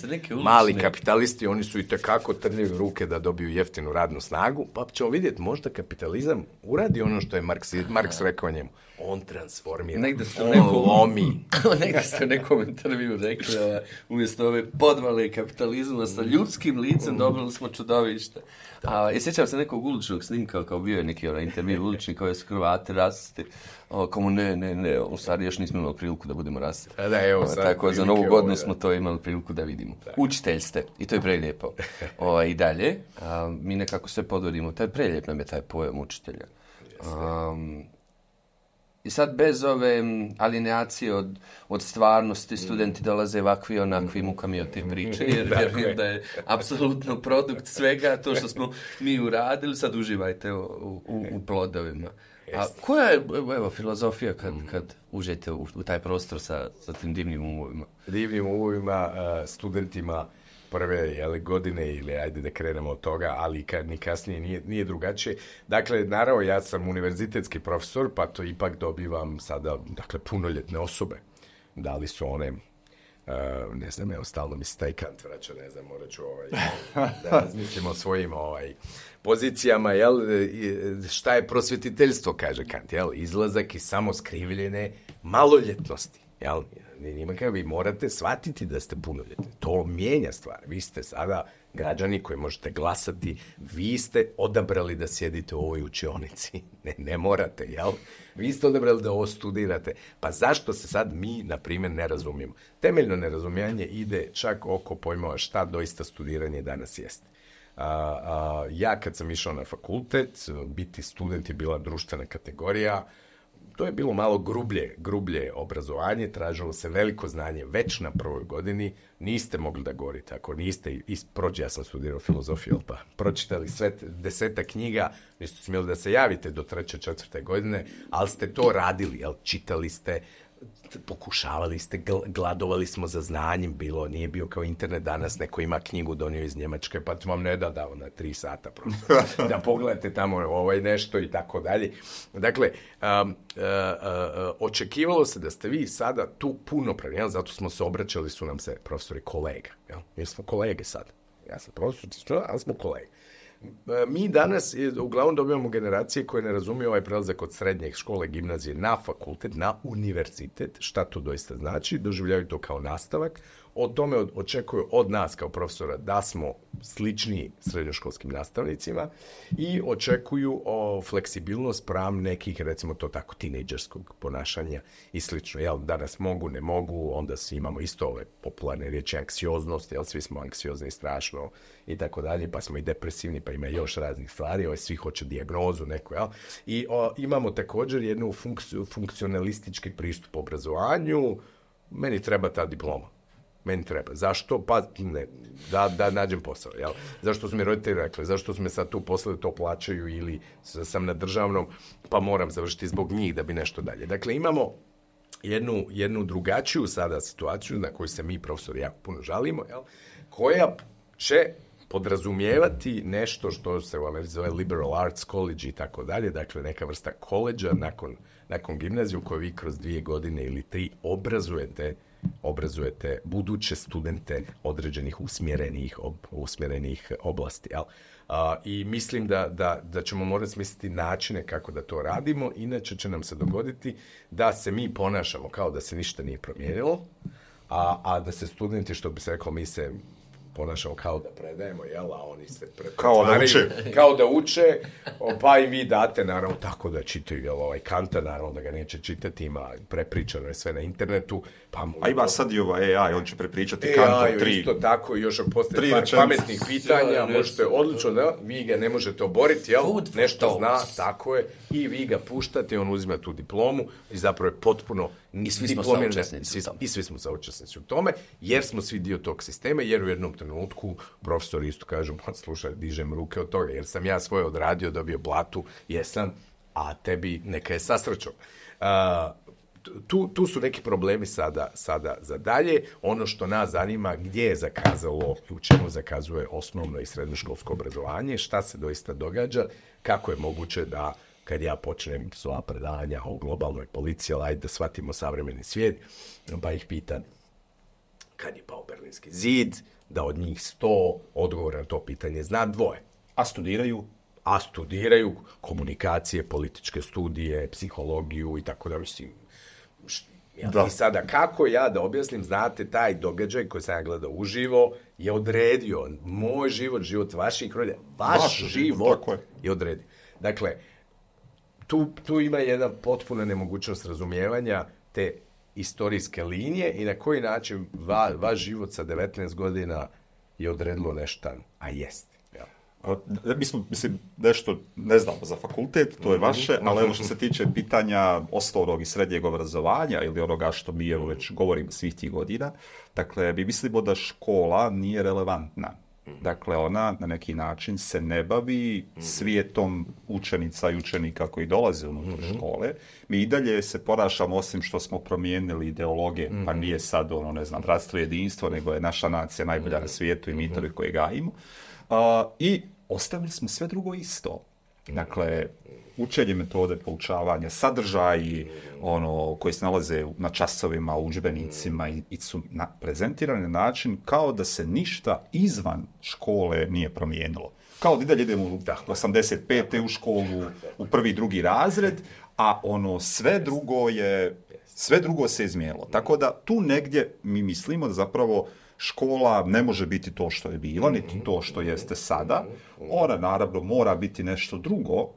mali kapitalisti, oni su i tekako trljevi ruke da dobiju jeftinu radnu snagu, pa ćemo vidjeti, možda kapitalizam uradi ono što je Marks, Marks rekao njemu. On transformira, negde ste on nekom, lomi. Negde ste u nekom intervju rekli, ova, umjesto ove podvale kapitalizma sa ljudskim licem dobili smo čudovište. A, i sjećam se nekog uličnog snimka, kao bio je neki ovaj, intervju ulični koji su Hrvati rasti. O, kao ne, ne, ne, u stvari još nismo imali priliku da budemo rasti. Da, evo, o, tako, za novu godinu smo to imali priliku da vidimo. Da. Učitelj ste, i to je prelijepo. O, I dalje, a, mi nekako sve podvodimo, taj prelijep nam je taj pojam učitelja. Um, I sad bez ove alineacije od, od stvarnosti studenti dolaze ovakvi onakvi mukami od te priče, jer vjerujem da je apsolutno produkt svega to što smo mi uradili, sad uživajte u, u, u plodovima. A koja je, evo, filozofija kad, kad uđete u, u taj prostor sa, sa tim divnim umovima? Divnim umovima, studentima prve jeli, godine ili ajde da krenemo od toga, ali kad ni kasnije nije, nije drugačije. Dakle, naravno, ja sam univerzitetski profesor, pa to ipak dobivam sada, dakle, punoljetne osobe. Da li su one, uh, ne znam, evo, stalno mi se taj Kant vraća, ne znam, morat ću ovaj, da razmislimo o svojim ovaj, pozicijama, jel, šta je prosvjetiteljstvo, kaže Kant, jel, izlazak iz samoskrivljene maloljetnosti. Jel? Njima kao vi morate shvatiti da ste punoljetni. To mijenja stvar. Vi ste sada građani koji možete glasati, vi ste odabrali da sjedite u ovoj učionici. Ne, ne morate, jel? Vi ste odabrali da ovo studirate. Pa zašto se sad mi, na primjer, ne razumijemo? Temeljno nerazumijanje ide čak oko pojmova šta doista studiranje danas jeste. A, a, ja kad sam išao na fakultet, biti student je bila društvena kategorija. To je bilo malo grublje, grublje obrazovanje, tražilo se veliko znanje već na prvoj godini, niste mogli da govorite, ako niste, prođe, ja sam studirao filozofiju, pa pročitali sve deseta knjiga, niste smjeli da se javite do treće, četvrte godine, ali ste to radili, jel, čitali ste, pokušavali ste, gladovali smo za znanjem, bilo, nije bio kao internet danas, neko ima knjigu donio iz Njemačke, pa vam ne da dao na tri sata prosto, da pogledate tamo ovaj nešto i tako dalje. Dakle, um, uh, uh, očekivalo se da ste vi sada tu punopravni, jel? Zato smo se obraćali, su nam se profesori kolega, jel? Jer smo kolege sad. Ja sam profesor, ali smo kolege. Mi danas uglavnom dobijamo generacije koje ne razumiju ovaj prelazak od srednje škole, gimnazije na fakultet, na univerzitet, šta to doista znači, doživljavaju to kao nastavak, o tome očekuju od nas kao profesora da smo slični srednjoškolskim nastavnicima i očekuju o fleksibilnost spram nekih, recimo to tako, tinejdžerskog ponašanja i slično. Jel, danas mogu, ne mogu, onda svi imamo isto ove popularne riječi anksioznost, jel, svi smo anksiozni strašno i tako dalje, pa smo i depresivni, pa ima još raznih stvari, ovaj, svi hoće dijagnozu neku, jel? I o, imamo također jednu funkciju, funkcionalistički pristup obrazovanju, meni treba ta diploma. Meni treba. Zašto? Pa ne, da, da nađem posao. Jel? Zašto su mi roditelji rekli? Zašto su me sad tu poslali, to plaćaju ili sam na državnom, pa moram završiti zbog njih da bi nešto dalje. Dakle, imamo jednu, jednu drugačiju sada situaciju na koju se mi profesori jako puno žalimo, jel? Koja će podrazumijevati nešto što se u Americi zove liberal arts college i tako dalje, dakle neka vrsta koleđa nakon, nakon gimnaziju koju vi kroz dvije godine ili tri obrazujete obrazujete buduće studente određenih usmjerenih, ob, usmjerenih oblasti. Jel? A, I mislim da, da, da ćemo morati smisliti načine kako da to radimo, inače će nam se dogoditi da se mi ponašamo kao da se ništa nije promijenilo, a, a da se studenti, što bi se reklo, mi se ponašamo kao da predajemo, jel, a oni se kao da uče. Kao da uče, pa i vi date, naravno, tako da čitaju, jel, ovaj Kanta, naravno da ga neće čitati, ima prepričano je sve na internetu. Pa a ima sad i ovaj A I, on će prepričati Kanta tri. Isto tako, još ako postoje par pametnih pitanja, možete odlično, da, vi ga ne možete oboriti, jel, nešto zna, tako je, i vi ga puštate, on uzima tu diplomu i zapravo je potpuno I svi smo saučesnici. I svi smo saučesnici u tome, jer smo svi dio tog sistema, jer u jednom trenutku profesori isto kažu, pa slušaj, dižem ruke od toga, jer sam ja svoje odradio, dobio platu, jesam, a tebi neka je sa srećom. Tu, tu su neki problemi sada, sada za dalje. Ono što nas zanima, gdje je zakazalo i u čemu zakazuje osnovno i srednjoškolsko obrazovanje, šta se doista događa, kako je moguće da kad ja počnem svoja predavanja o globalnoj policiji, ajde da shvatimo savremeni svijet, pa ih pitam kad je pao Berlinski zid, da od njih sto odgovora na to pitanje zna dvoje. A studiraju? A studiraju komunikacije, političke studije, psihologiju i tako da, mislim. Da. I sada, kako ja da objasnim, znate, taj događaj koji sam ja gledao uživo je odredio moj život, život vaših roditelja, vaš, vaš život je. je odredio. Dakle, tu, tu ima jedna potpuna nemogućnost razumijevanja te istorijske linije i na koji način va, vaš život sa devetnaest godina je odredilo nešto, a jeste. Mi smo, mislim, nešto ne znamo za fakultet, to je vaše, ali evo što se tiče pitanja osnovnog i srednjeg obrazovanja ili onoga što mi evo već govorimo svih tih godina, dakle, mi mislimo da škola nije relevantna. Dakle, ona na neki način se ne bavi svijetom učenica i učenika koji dolaze unutar škole. Mi i dalje se ponašamo, osim što smo promijenili ideologe, pa nije sad ono, ne znam, bratstvo i jedinstvo, nego je naša nacija najbolja na svijetu i mitovi koje gajimo. Uh, I ostavili smo sve drugo isto. Dakle, učenje metode poučavanja, sadržaji ono, koji se nalaze na časovima, u udžbenicima i, i su na, prezentirani na način kao da se ništa izvan škole nije promijenilo. Kao da i dalje idemo u osamdeset pete u školu, u prvi, drugi razred, a ono sve drugo je Sve drugo se izmijenilo. Tako da tu negdje mi mislimo da zapravo škola ne može biti to što je bila, niti to što jeste sada. Ona naravno mora biti nešto drugo.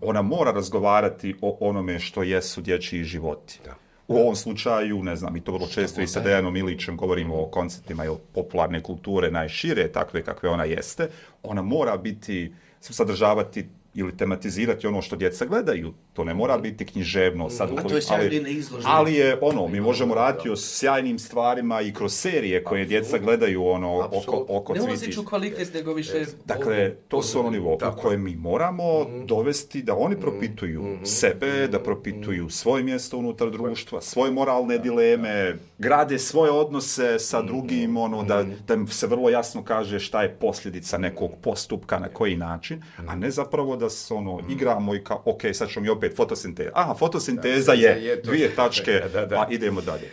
Ona mora razgovarati o onome što jesu dječji životi. Da. U ovom slučaju, ne znam, i to vrlo često i sa Dejanom Ilićem govorimo o konceptima ili popularne kulture najšire, takve kakve ona jeste. Ona mora biti, sadržavati ili tematizirati ono što djeca gledaju. To ne mora biti književno. Sad, a to je ali, ali je ono, mi možemo raditi o sjajnim stvarima i kroz serije koje djeca gledaju ono, oko, oko cviti. Ne ulaziću kvalitet, nego više... Dakle, to su ono nivo u koje mi moramo dovesti da oni propituju sebe, da propituju svoje mjesto unutar društva, svoje moralne dileme, grade svoje odnose sa drugim, ono, da, da im se vrlo jasno kaže šta je posljedica nekog postupka, na koji način, a ne zapravo da se ono, igramo i kao, ok, sad ćemo mi opet fotosinteza. Aha, fotosinteza je, je dvije tačke, da, da, da. Pa idemo dalje.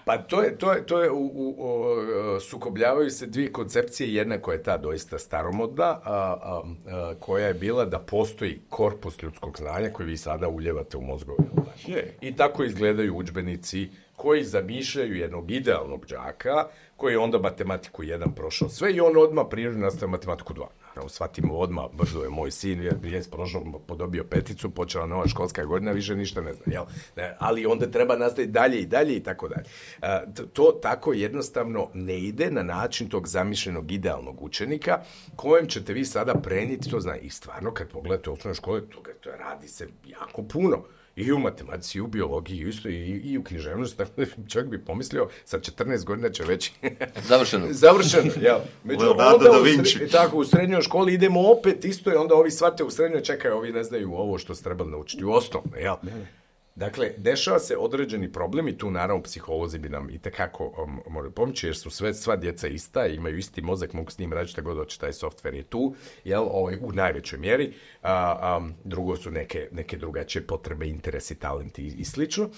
Pa to je, to je, to je u, u, u, sukobljavaju se dvije koncepcije, jedna koja je ta doista staromodna, a, a, a, koja je bila da postoji korpus ljudskog znanja koji vi sada uljevate u mozgove. Je. I tako izgledaju udžbenici koji zamišljaju jednog idealnog đaka, koji je onda matematiku jedan prošao sve i on odmah prirodno nastavio matematiku dva. Shvatimo odmah, brzo je moj sin, je prošao, podobio peticu, počela nova školska godina, više ništa ne zna, jel? Ne, ali onda treba nastaviti dalje i dalje i tako dalje. A, to tako jednostavno ne ide na način tog zamišljenog idealnog učenika kojem ćete vi sada prenijeti, to zna. I stvarno, kad pogledate u osnovnoj škole, to, to radi se jako puno. I u matematici, i u biologiji, isto i, i u književnosti, tako da čovjek bi pomislio, sa četrnaest godina će već... Završeno. Završeno, jel. Među, onda u, sre, tako, u srednjoj školi idemo opet isto i onda ovi shvate u srednjoj, čekaju, ovi ne znaju ovo što se trebali naučiti u osnovno, jel. Dakle, dešava se određeni problem i tu naravno psiholozi bi nam itekako um, moraju pomoći, jer su sve, sva djeca ista, imaju isti mozak, mogu s njim raditi šta god hoće, taj softver je tu, jel, ovaj, u najvećoj mjeri. A, um, drugo su neke, neke drugačije potrebe, interesi, talenti i, i slično.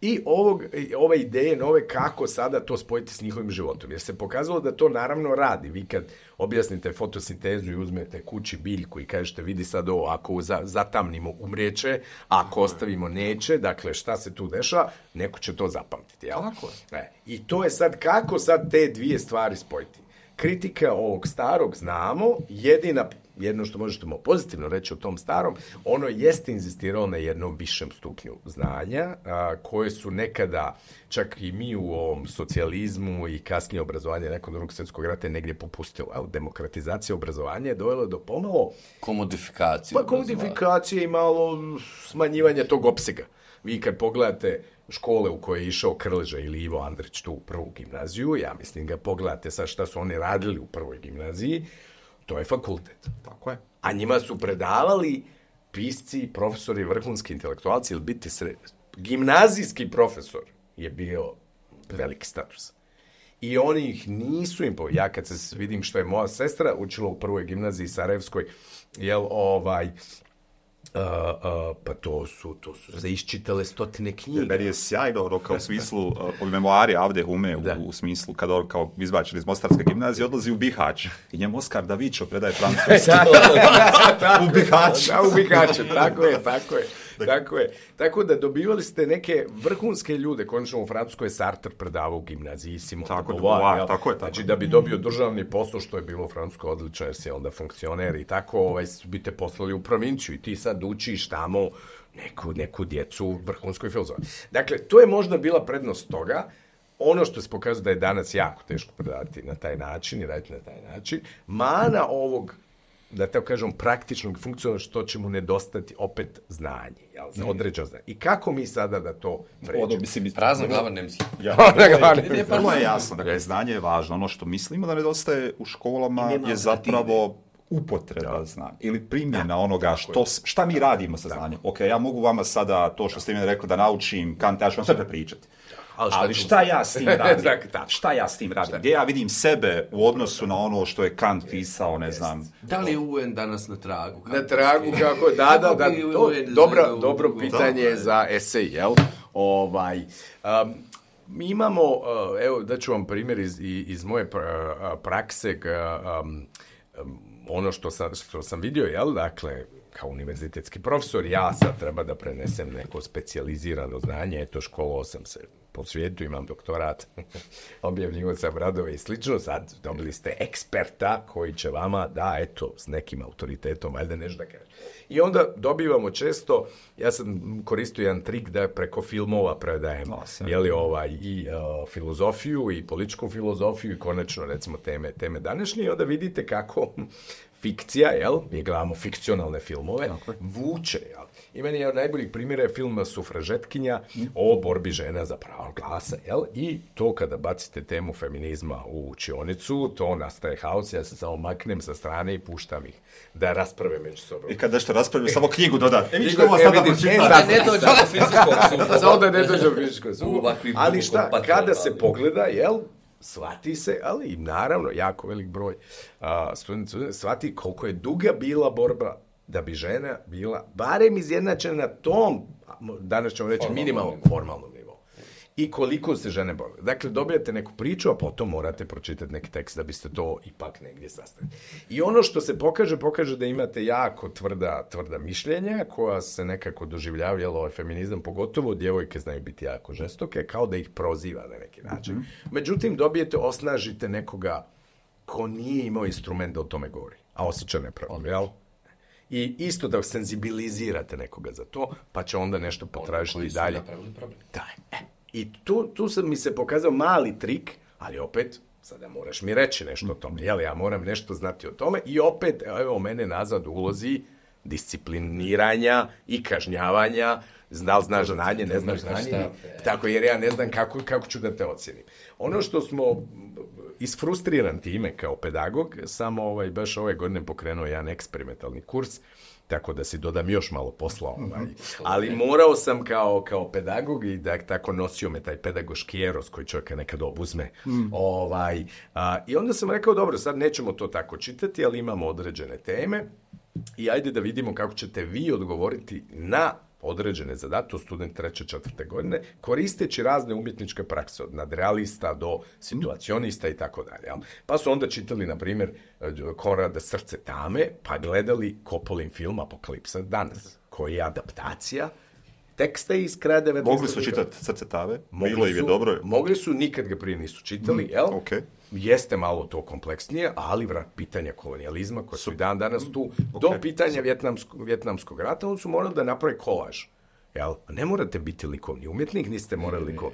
I ovog, ove ideje nove kako sada to spojiti s njihovim životom. Jer se pokazalo da to naravno radi. Vi kad objasnite fotosintezu i uzmete kući biljku i kažete vidi sad ovo, ako za, zatamnimo umrijeće, ako ostavimo neće, dakle šta se tu dešava, neko će to zapamtiti. Jel? Tako je. E, I to je sad kako sad te dvije stvari spojiti. Kritika ovog starog znamo, jedina, jedno što možete mu pozitivno reći o tom starom, ono jeste inzistirao na jednom višem stupnju znanja, a, koje su nekada, čak i mi u ovom socijalizmu i kasnije obrazovanje nakon drugog svjetskog rata je negdje popustilo. Demokratizacija obrazovanja je dovela do pomalo... Komodifikacije. Pa komodifikacije i malo smanjivanja tog opsega. Vi kad pogledate škole u koje je išao Krleža ili Ivo Andrić tu u prvu gimnaziju, ja mislim ga pogledate sad šta su oni radili u prvoj gimnaziji, to je fakultet. Tako je. A njima su predavali pisci, profesori, vrhunski intelektualci, ili biti sred... Gimnazijski profesor je bio veliki status. I oni ih nisu im po... Ja kad se vidim što je moja sestra učila u prvoj gimnaziji Sarajevskoj, jel ovaj... Uh, uh, pa to su, to su se iščitale stotine knjiga. Meni je sjajno, ono, kao u smislu, uh, memoari Avde Hume, u, u smislu, kada on kao izbačen iz Mostarske gimnazije, odlazi u Bihać. I njemu Oskar Davićo predaje francuski. U Bihać. Da, u Bihać, tako je, tako je. Tako je. Tako da dobivali ste neke vrhunske ljude, konačno u Francuskoj je Sartre predavao u gimnaziji Simon tako, Beauvoir, tako je, tako. Znači da bi dobio državni posao, što je bilo u Francuskoj odlično, jer si onda funkcioner i tako, ovaj, bi te poslali u provinciju i ti sad učiš tamo neku, neku djecu u vrhunskoj filozofiji. Dakle, to je možda bila prednost toga. Ono što se pokazuje da je danas jako teško predavati na taj način i raditi na taj način, mana ovog, da tako kažem, praktičnog funkcionalnog, što će mu nedostati opet znanje, jel, za određeno znanje. I kako mi sada da to pređemo? Prazna glava ne misli. Ja, prvo je jasno, dakle, znanje je važno. Ono što mislimo da nedostaje u školama je zapravo upotreba da. znanja ili primjena da, onoga što, šta mi radimo sa znanjem. Ok, ja mogu vama sada to što ste mi rekli da naučim Kant, ja ću vam sve prepričati. Ali šta, Ali šta ja s tim radim? Šta ja s tim radim? Gdje ja vidim sebe u odnosu na ono što je Kant pisao, ne znam. Da li je U N danas na tragu? Na tragu, kako je, da, da, da. To, dobro, dobro pitanje je za esej, jel? Ovaj, um, mi imamo, uh, evo, da ću vam primjer iz, iz moje prakse, um, um, ono što sam, što sam vidio, jel, dakle, kao univerzitetski profesor, ja sad treba da prenesem neko specijalizirano znanje, eto, školovao sam se po svijetu, imam doktorat, objavljivo sam radove i slično, sad dobili ste eksperta koji će vama da, eto, s nekim autoritetom, valjda nešto da kaže. I onda dobivamo često, ja sam koristio jedan trik da preko filmova predajem, jeli, ovaj, i uh, filozofiju, i političku filozofiju, i konačno, recimo, teme, teme današnje, i onda vidite kako fikcija, jel, mi gledamo fikcionalne filmove, okay. vuče, jel. I meni je od najboljih primjera je film Sufražetkinja o borbi žena za pravo glasa, jel, i to kada bacite temu feminizma u učionicu, to nastaje haos, ja se samo maknem sa strane i puštam ih da rasprave među sobom. I kad nešto raspravim, samo knjigu dodati. E, vi što ovo sada pročitati? Ne dođe do fizičkog suda. Samo da ne dođe do fizičkog suda. Ali šta, kada se pogleda, jel, shvati se, ali naravno, jako velik broj uh, studenta shvati koliko je duga bila borba da bi žena bila barem izjednačena na tom, danas ćemo reći, minimalnom formalnom nivou. I koliko se žene bore. Dakle, dobijate neku priču, a potom morate pročitati neki tekst da biste to ipak negdje sastavili. I ono što se pokaže, pokaže da imate jako tvrda, tvrda mišljenja koja se nekako doživljavaju, ovaj feminizam, pogotovo djevojke znaju biti jako žestoke, kao da ih proziva na neki način. Mm-hmm. Međutim, dobijete, osnažite nekoga ko nije imao instrument da o tome govori, a osjeća nepravdu, jel? I isto da senzibilizirate nekoga za to, pa će onda nešto potražiti dalje. Da, e. I tu, tu sam mi se pokazao mali trik, ali opet, sada moraš mi reći nešto o tome, jel, ja moram nešto znati o tome i opet, evo, mene nazad ulozi discipliniranja i kažnjavanja, znal znaš znanje, ne znaš znanje, tako jer ja ne znam kako, kako ću da te ocjenim. Ono što smo isfrustriran time kao pedagog, samo ovaj, baš ove godine pokrenuo jedan eksperimentalni kurs, tako da si dodam još malo posla. Ovaj. Ali morao sam kao, kao pedagog i da tako nosio me taj pedagoški eros koji čovjeka nekad obuzme. Mm. Ovaj, a, I onda sam rekao, dobro, sad nećemo to tako čitati, ali imamo određene teme i ajde da vidimo kako ćete vi odgovoriti na određene zadatke, student treće, četvrte godine, koristeći razne umjetničke prakse, od nadrealista do situacionista i tako dalje. Pa su onda čitali, na primjer, Konrada Srce tame, pa gledali Coppolin film Apokalipsa danas, koji je adaptacija teksta iz kraja devedesetih. Mogli su čitati Srce tame? Bilo im je dobro? Mogli su, nikad ga prije nisu čitali, mm, jel? Okay. Jeste malo to kompleksnije, ali vrat pitanja kolonijalizma, koje su i dan danas tu, okay. do pitanja vjetnamskog, vjetnamskog rata, on su morali da napravi kolaž. Jel? Ne morate biti likovni umjetnik, niste morali liko...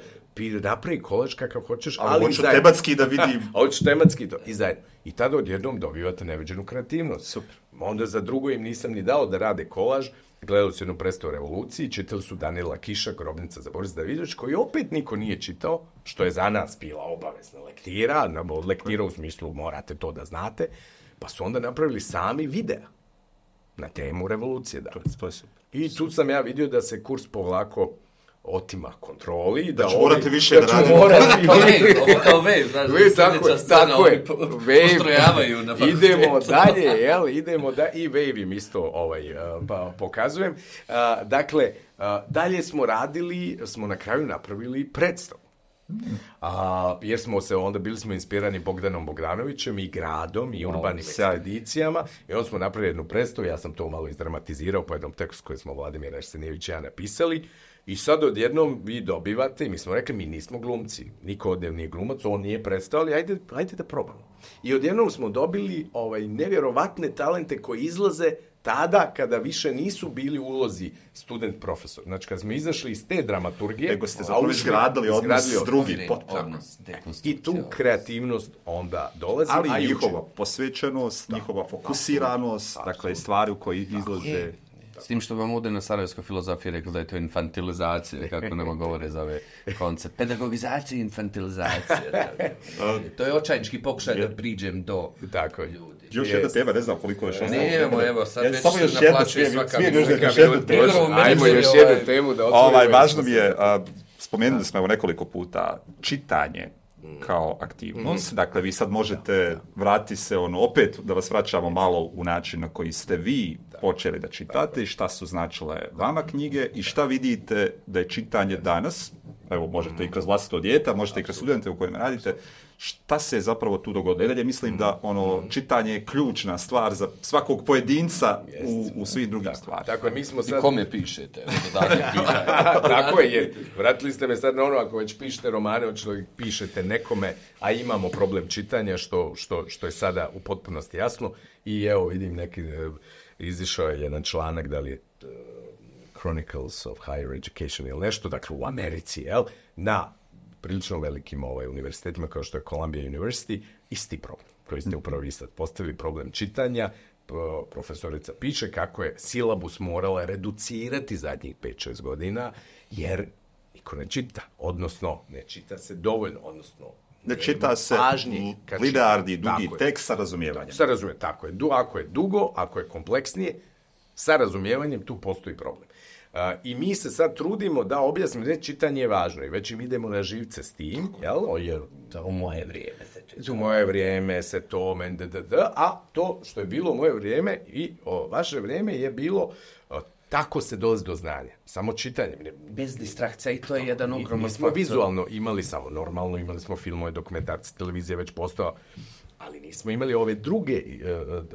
napravi kolaž kakav hoćeš, ali, ali hoću tematski da vidim. Hoću tematski to, i zajedno. I tada odjednom dobivate neviđenu kreativnost. Super. Onda za drugo im nisam ni dao da rade kolaž, gledali su jednu predstavu o revoluciji, čitali su Danila Kiša, Grobnica za Boris Davidović, koji opet niko nije čitao, što je za nas bila obavezna lektira, od lektira u smislu morate to da znate, pa su onda napravili sami videa na temu revolucije. Da. To je super. I tu sam ja vidio da se kurs polako otima kontroli. Da, da ću morate više da, da radimo. Kao wave, kao wave, znaš, we, tako, tako je, postrojavaju na fakultetu. Idemo dalje, jel, idemo da i wave im isto ovaj, pa, pokazujem. Uh, dakle, uh, dalje smo radili, smo na kraju napravili predstavu. A, jer smo se onda bili smo inspirani Bogdanom Bogdanovićem i gradom i urbanim wow, ekspedicijama i onda smo napravili jednu predstavu, ja sam to malo izdramatizirao po jednom tekstu koji smo Vladimir Arsenijević i ja napisali i sad odjednom vi dobivate i mi smo rekli mi nismo glumci, niko od nije glumac, on nije predstavio, ali ajde, ajde da probamo. I odjednom smo dobili ovaj, nevjerovatne talente koji izlaze tada kada više nisu bili u ulozi student-profesor. Znači, kad smo izašli iz te dramaturgije... Nego ste zapravo izgradili odnos s drugim potpuno. I tu kreativnost onda dolazi. Ali a njihova posvećenost, njihova fokusiranost, da, dakle, stvari u koji izlaze... S tim što vam ovdje na sarajevskoj filozofiji rekli da je to infantilizacija, kako nama govore za ove koncept. Pedagogizacija i infantilizacija. To je očajnički pokušaj da priđem do tako ljudi. Još jedna tema, ne znam koliko još ostalo. Nemamo, evo, sad ja, već se naplaćuje svaka minuta. Ajmo još jednu temu da otvorimo. Ovaj, važno mi je, a, spomenuli smo evo nekoliko puta, čitanje kao aktivnost. Mm. Dakle, vi sad možete vratiti se ono, opet da vas vraćamo malo u način na koji ste vi počeli da čitate i šta su značile vama knjige i šta vidite da je čitanje danas evo možete i kroz vlastito dijete, možete i kroz studente u kojima radite, šta se zapravo tu dogodilo? I dalje mislim da ono čitanje je ključna stvar za svakog pojedinca u, u svih drugim stvarima. Tako je, mi smo sad... I kome pišete? Tako je, jer vratili ste me sad na ono, ako već pišete romane, hoće li pišete nekome, a imamo problem čitanja, što, što, što je sada u potpunosti jasno. I evo, vidim neki, izišao je jedan članak, da li je uh, Chronicles of Higher Education ili nešto, dakle u Americi, jel, na prilično velikim ovaj, univerzitetima kao što je Columbia University, isti problem koji ste upravo vi sad postavili, problem čitanja. Profesorica piše kako je silabus morala reducirati zadnjih pet šest godina, jer niko ne čita, odnosno ne čita se dovoljno, odnosno ne čita se linearni, dugi tekst sa razumijevanjem. Sa razumijevanjem, tako je. Du, ako je dugo, ako je kompleksnije, sa razumijevanjem tu postoji problem. Uh, I mi se sad trudimo da objasnimo da čitanje je važno i već im idemo na živce s tim, jel? O, jer to u moje vrijeme se čita. U moje vrijeme se to, men, d, d, d, a to što je bilo u moje vrijeme i o, vaše vrijeme je bilo o, tako se dolazi do znanja. Samo čitanjem. Bez distrakcija i to je jedan ogroman Mi smo vizualno imali samo normalno, imali smo filmove, dokumentarce, televizija već postao, ali nismo imali ove druge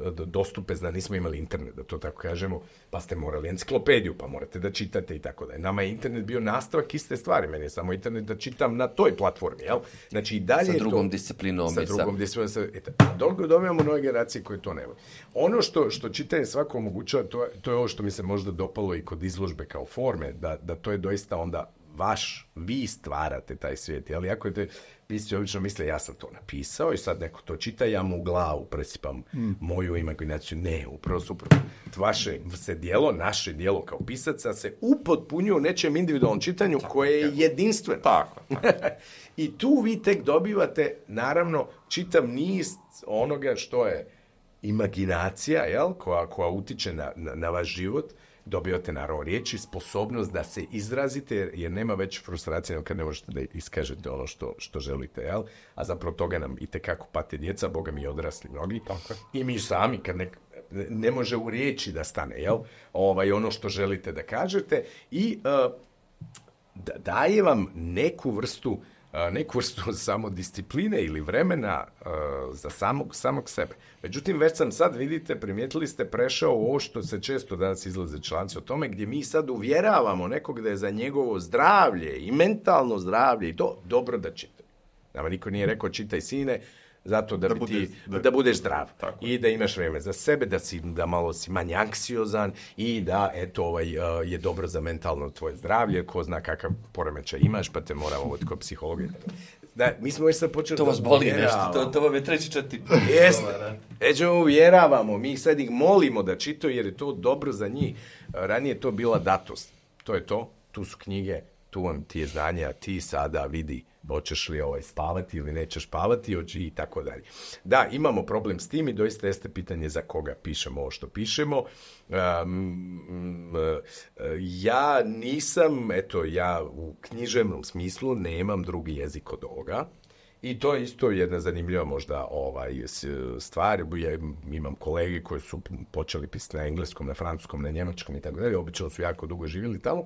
uh, dostupe, zna, nismo imali internet, da to tako kažemo, pa ste morali enciklopediju, pa morate da čitate i tako da je. Nama je internet bio nastavak iste stvari, meni je samo internet da čitam na toj platformi, jel? Znači i dalje sa drugom to, disciplinom. Sa drugom disciplinom. Sa, a dolgo dobijamo nove generacije koje to nemaju. Ono što, što čitanje svako omogućava, to, to je ovo što mi se možda dopalo i kod izložbe kao forme, da, da to je doista onda vaš, vi stvarate taj svijet, ali ako je to, vi ste obično misle, ja sam to napisao i sad neko to čita, ja mu u glavu presipam mm. moju imaginaciju. Ne, upravo suprotno. Vaše se dijelo, naše dijelo kao pisaca se upotpunjuje u nečem individualnom čitanju tako, koje je jedinstveno. Tako. I tu vi tek dobivate, naravno, čitav niz onoga što je imaginacija, jel, koja, koja utiče na, na, na vaš život. Dobivate naravno riječi, sposobnost da se izrazite, jer nema već frustracije kad ne možete da iskažete ono što, što želite, jel? A zapravo toga nam itekako pate djeca, boga mi odrasli mnogi. Tako. I mi sami, kad ne, ne može u riječi da stane, jel? Ovaj, ono što želite da kažete i uh, da, daje vam neku vrstu neku vrstu samodiscipline ili vremena uh, za samog, samog sebe. Međutim, već sam sad, vidite, primijetili ste, prešao ovo što se često danas izlaze članci o tome, gdje mi sad uvjeravamo nekog da je za njegovo zdravlje i mentalno zdravlje i to dobro da čita. Nama niko nije rekao čitaj sine, zato da, da, bi ti, da, da budeš zdrav tako. I da imaš vreme za sebe, da, si, da malo si manje anksiozan i da eto, ovaj, uh, je dobro za mentalno tvoje zdravlje, ko zna kakav poremećaj imaš, pa te moramo voditi kod psihologa. Da, mi smo već sad počeli... To vas boli nešto, to, to vam je treći četiri. Jeste, već uvjeravamo, mi sad ih molimo da čitaju jer je to dobro za njih. Ranije je to bila datost, to je to, tu su knjige, tu vam ti je znanje, a ti sada vidi hoćeš li ovaj spavati ili nećeš spavati i tako dalje. Da, imamo problem s tim i doista jeste pitanje za koga pišemo ovo što pišemo. Um, ja nisam, eto, ja u književnom smislu nemam drugi jezik od ovoga. I to je isto jedna zanimljiva možda ovaj, stvar. Ja imam kolege koji su počeli pisati na engleskom, na francuskom, na njemačkom i tako dalje. Obično su jako dugo živjeli tamo.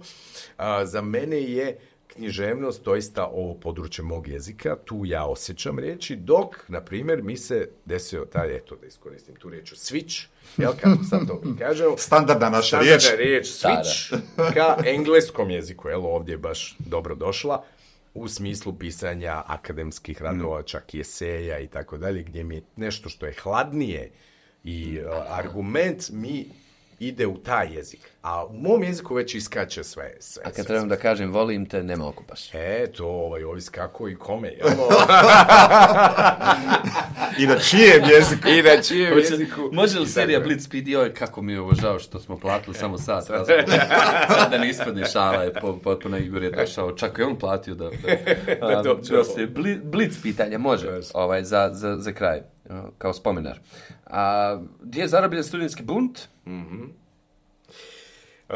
A, za mene je književnost doista ovo područje mog jezika. Tu ja osjećam riječi, dok, na primjer, mi se desio taj, eto, da iskoristim tu riječ, switch, jel, kako sam to kažemo? Standardna naša riječ. Standardna riječ, switch, ka engleskom jeziku, jel, ovdje je baš dobro došla. U smislu pisanja akademskih radova, čak i eseja i tako dalje, gdje mi je nešto što je hladnije i uh, argument mi ide u taj jezik. A u mom jeziku već iskače sve. sve A kad sve, trebam sve. da kažem volim te, nema okupaš. E, to ovaj, ovisi kako i kome. I na čijem jeziku. I na čijem jeziku. Može li serija Blitzpeed, joj, kako mi je ovo žao što smo platili samo sat. Sad da ne ispadne šala, je potpuno Igor je došao, čak i on platio da... da, da Blitz pitanje, može, ovaj, za, za, za kraj, kao spomenar. A, gdje je zarobljen studentski bunt? Mhm. Uh,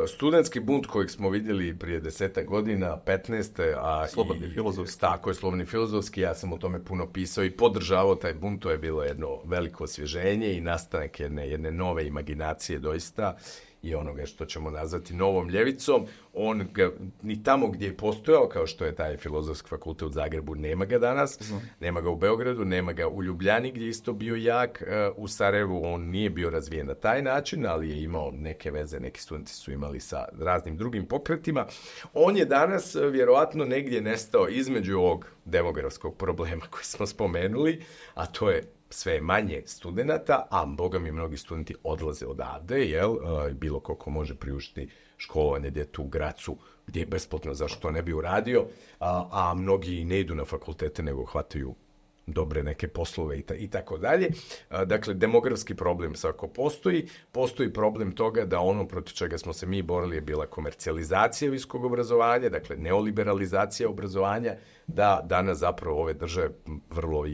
studentski bunt kojeg smo vidjeli prije desetak godina, petnaeste a slobodni filozofski. Tako je, slobodni filozofski, ja sam o tome puno pisao i podržavao taj bunt, to je bilo jedno veliko osvježenje i nastanak jedne, jedne nove imaginacije doista i onoga što ćemo nazvati novom ljevicom. On ga, ni tamo gdje je postojao, kao što je taj filozofski fakultet u Zagrebu, nema ga danas, mm. nema ga u Beogradu, nema ga u Ljubljani gdje je isto bio jak, u Sarajevu on nije bio razvijen na taj način, ali je imao neke veze, neki studenti su imali sa raznim drugim pokretima. On je danas vjerojatno negdje nestao između ovog demografskog problema koji smo spomenuli, a to je sve manje studenata, a boga mi mnogi studenti odlaze odavde, jel? Bilo ko može priuštiti školovanje djetu u Gracu, gdje je besplatno, zašto to ne bi uradio, a, a mnogi ne idu na fakultete, nego hvataju dobre neke poslove i, ta, i tako dalje. Dakle, demografski problem svako postoji. Postoji problem toga da ono protiv čega smo se mi borili je bila komercijalizacija visokog obrazovanja, dakle neoliberalizacija obrazovanja, da danas zapravo ove države vrlo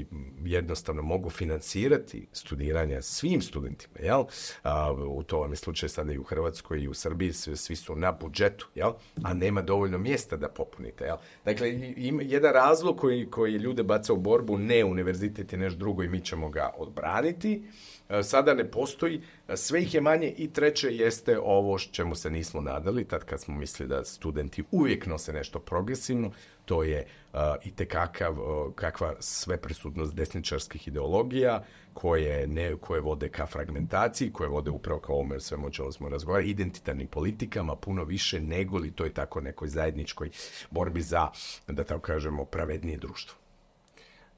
jednostavno mogu financirati studiranja svim studentima, jel? A, u to vam je slučaj sada i u Hrvatskoj i u Srbiji, svi, svi su na budžetu, jel? A nema dovoljno mjesta da popunite, jel? Dakle, ima jedan razlog koji, koji ljude baca u borbu, ne univerzitet je nešto drugo i mi ćemo ga odbraniti, sada ne postoji, sve ih je manje i treće jeste ovo čemu se nismo nadali, tad kad smo mislili da studenti uvijek nose nešto progresivno, to je uh, itekakav, uh, kakva sveprisutnost desničarskih ideologija koje, ne, koje vode ka fragmentaciji, koje vode upravo kao ovome svemu o čemu smo razgovarali, identitarnim politikama puno više nego li to je tako nekoj zajedničkoj borbi za, da tako kažemo, pravednije društvo.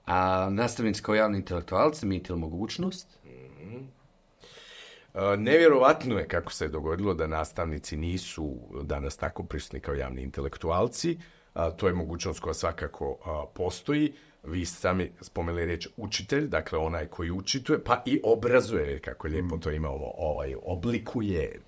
A nastavnici kao javni intelektualci imate li mogućnost? Mm-hmm. E, nevjerovatno je kako se je dogodilo da nastavnici nisu danas tako prisutni kao javni intelektualci. A, to je mogućnost koja svakako a, postoji. Vi sami spomenuli riječ učitelj, dakle onaj koji učituje, pa i obrazuje, kako lijepo to imamo, ovaj, oblikuje.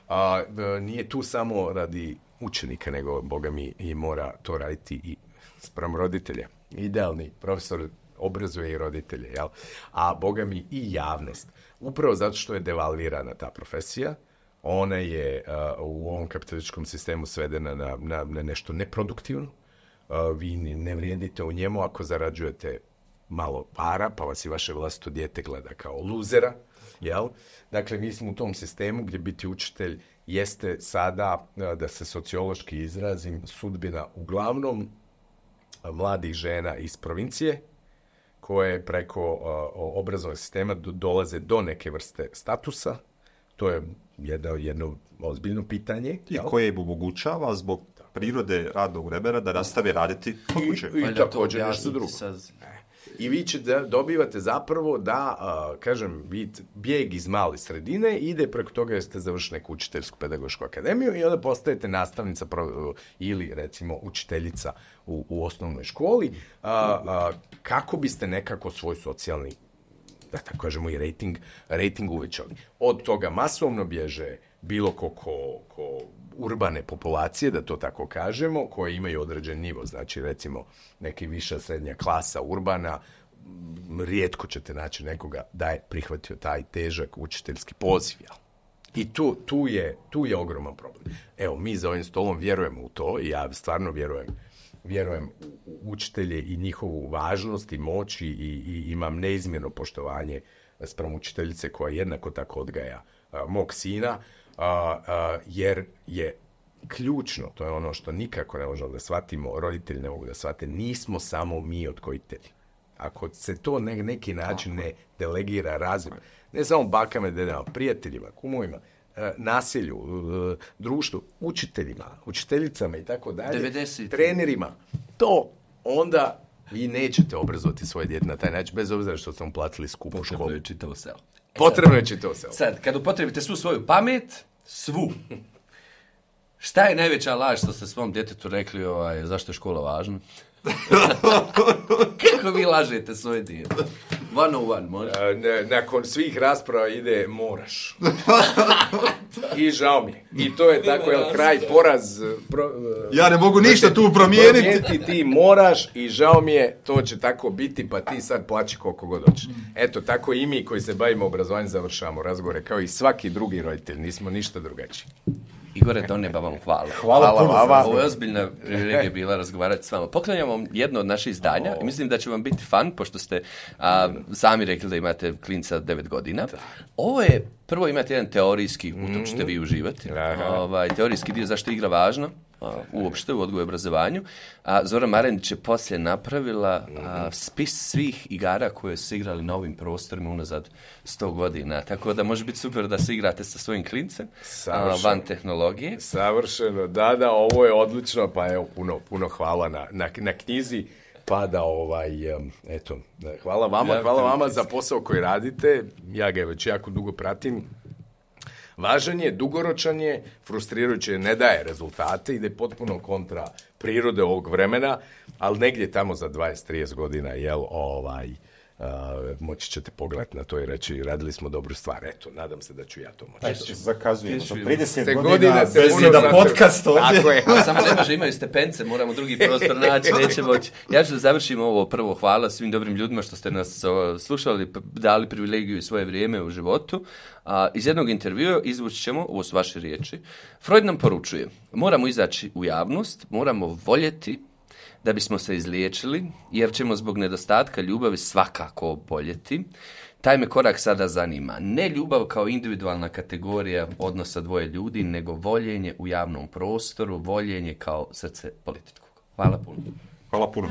A, nije tu samo radi učenika, nego, boga mi, i mora to raditi i spram roditelja. Idealni profesor obrazuje i roditelje, jel? A boga mi i javnost. Upravo zato što je devalvirana ta profesija, ona je uh, u ovom kapitalističkom sistemu svedena na, na, na nešto neproduktivno. Uh, vi ne vrijedite u njemu ako zarađujete malo para, pa vas i vaše vlastito dijete gleda kao luzera, jel? Dakle, mi smo u tom sistemu gdje biti učitelj jeste sada, uh, da se sociološki izrazim, sudbina uglavnom mladih žena iz provincije koje preko uh, obrazovnog sistema do, dolaze do neke vrste statusa. To je jedno, jedno ozbiljno pitanje. I koje im omogućava zbog prirode radnog vremena da nastave raditi kod kuće. I, i također nešto drugo. Saz... I vi ćete dobivate zapravo da, uh, kažem, vi bijeg iz male sredine ide preko toga jer ste završili neku učiteljsku pedagošku akademiju i onda postajete nastavnica pro, ili, recimo, učiteljica u, u osnovnoj školi. Uh, uh, kako biste nekako svoj socijalni, da tako kažemo, i rating, rating uvećali? Od toga masovno bježe bilo ko, ko, ko urbane populacije, da to tako kažemo, koje imaju određen nivo, znači recimo neki viša srednja klasa urbana, rijetko ćete naći nekoga da je prihvatio taj težak učiteljski poziv. I tu, tu, je, tu je ogroman problem. Evo, mi za ovim stolom vjerujemo u to i ja stvarno vjerujem, vjerujem u učitelje i njihovu važnost i moć i, i imam neizmjerno poštovanje spram učiteljice koja jednako tako odgaja a, mog sina, a, a, jer je ključno, to je ono što nikako ne možemo da shvatimo, roditelji ne mogu da shvate, nismo samo mi odgojitelji. Ako se to na neki način ne delegira razvoj, ne samo bakama, dedama, prijateljima, kumovima, nasilju, društvu, učiteljima, učiteljicama i tako dalje, trenerima, to onda vi nećete obrazovati svoje dijete na taj način, bez obzira što ste mu platili skupu školu. Potrebno je čitavo selo. E Potrebno je čitavo selo. Sad, kad upotrebite svu svoju pamet, svu, šta je najveća laž što ste svom djetetu rekli, ovaj, zašto je škola važna? Kako vi lažete svoje dijete? One on one, može? Nakon svih rasprava ide moraš. I žao mi je. I to je tako, jel, kraj, poraz. Pro, ja ne mogu ništa tu promijeniti. Promijeniti ti moraš i žao mi je, to će tako biti, pa ti sad plaći koliko god hoćeš. Eto, tako i mi koji se bavimo obrazovanjem završavamo razgovore, kao i svaki drugi roditelj. Nismo ništa drugačiji. Igore, do neba vam hvala. Hvala, hvala puno. Vama. Ovo je ozbiljna privilegija bila razgovarati s vama. Poklanjam vam jedno od naših izdanja oh. i mislim da će vam biti fan, pošto ste a, sami rekli da imate klinca devet godina. Da. Ovo je, prvo imate jedan teorijski, u tom ćete vi uživati. Ovaj, teorijski dio zašto je igra važna. Uopšte u odgoju i obrazovanju. A Zora Marenić je poslije napravila a, spis svih igara koje su igrali na ovim prostorima unazad sto godina. Tako da može biti super da se igrate sa svojim klincem a, van tehnologije. Savršeno. Da, da, ovo je odlično. Pa evo, puno, puno hvala na, na, na knjizi. Pa da, ovaj, eto, hvala vama, hvala vama za posao koji radite. Ja ga već jako dugo pratim. Važan je, dugoročan je, frustrirajuće, ne daje rezultate, ide potpuno kontra prirode ovog vremena, ali negdje tamo za dvadeset do trideset godina, jel, ovaj, uh, moći ćete pogledati na to i reći, radili smo dobru stvar. Eto, nadam se da ću ja to moći. Eto, zakazujemo. trideset se godina bez jedan podcast ovdje. Tako je. Ali samo ne može, imaju stepence, moramo drugi prostor naći, neće moći. Ja ću da završim ovo prvo. Hvala svim dobrim ljudima što ste nas slušali, dali privilegiju i svoje vrijeme u životu. A, iz jednog intervjua izvući ćemo, ovo su vaše riječi, Freud nam poručuje, moramo izaći u javnost, moramo voljeti da bismo se izliječili, jer ćemo zbog nedostatka ljubavi svakako oboljeti. Taj me korak sada zanima. Ne ljubav kao individualna kategorija odnosa dvoje ljudi, nego voljenje u javnom prostoru, voljenje kao srce političkog. Hvala puno. Hvala puno.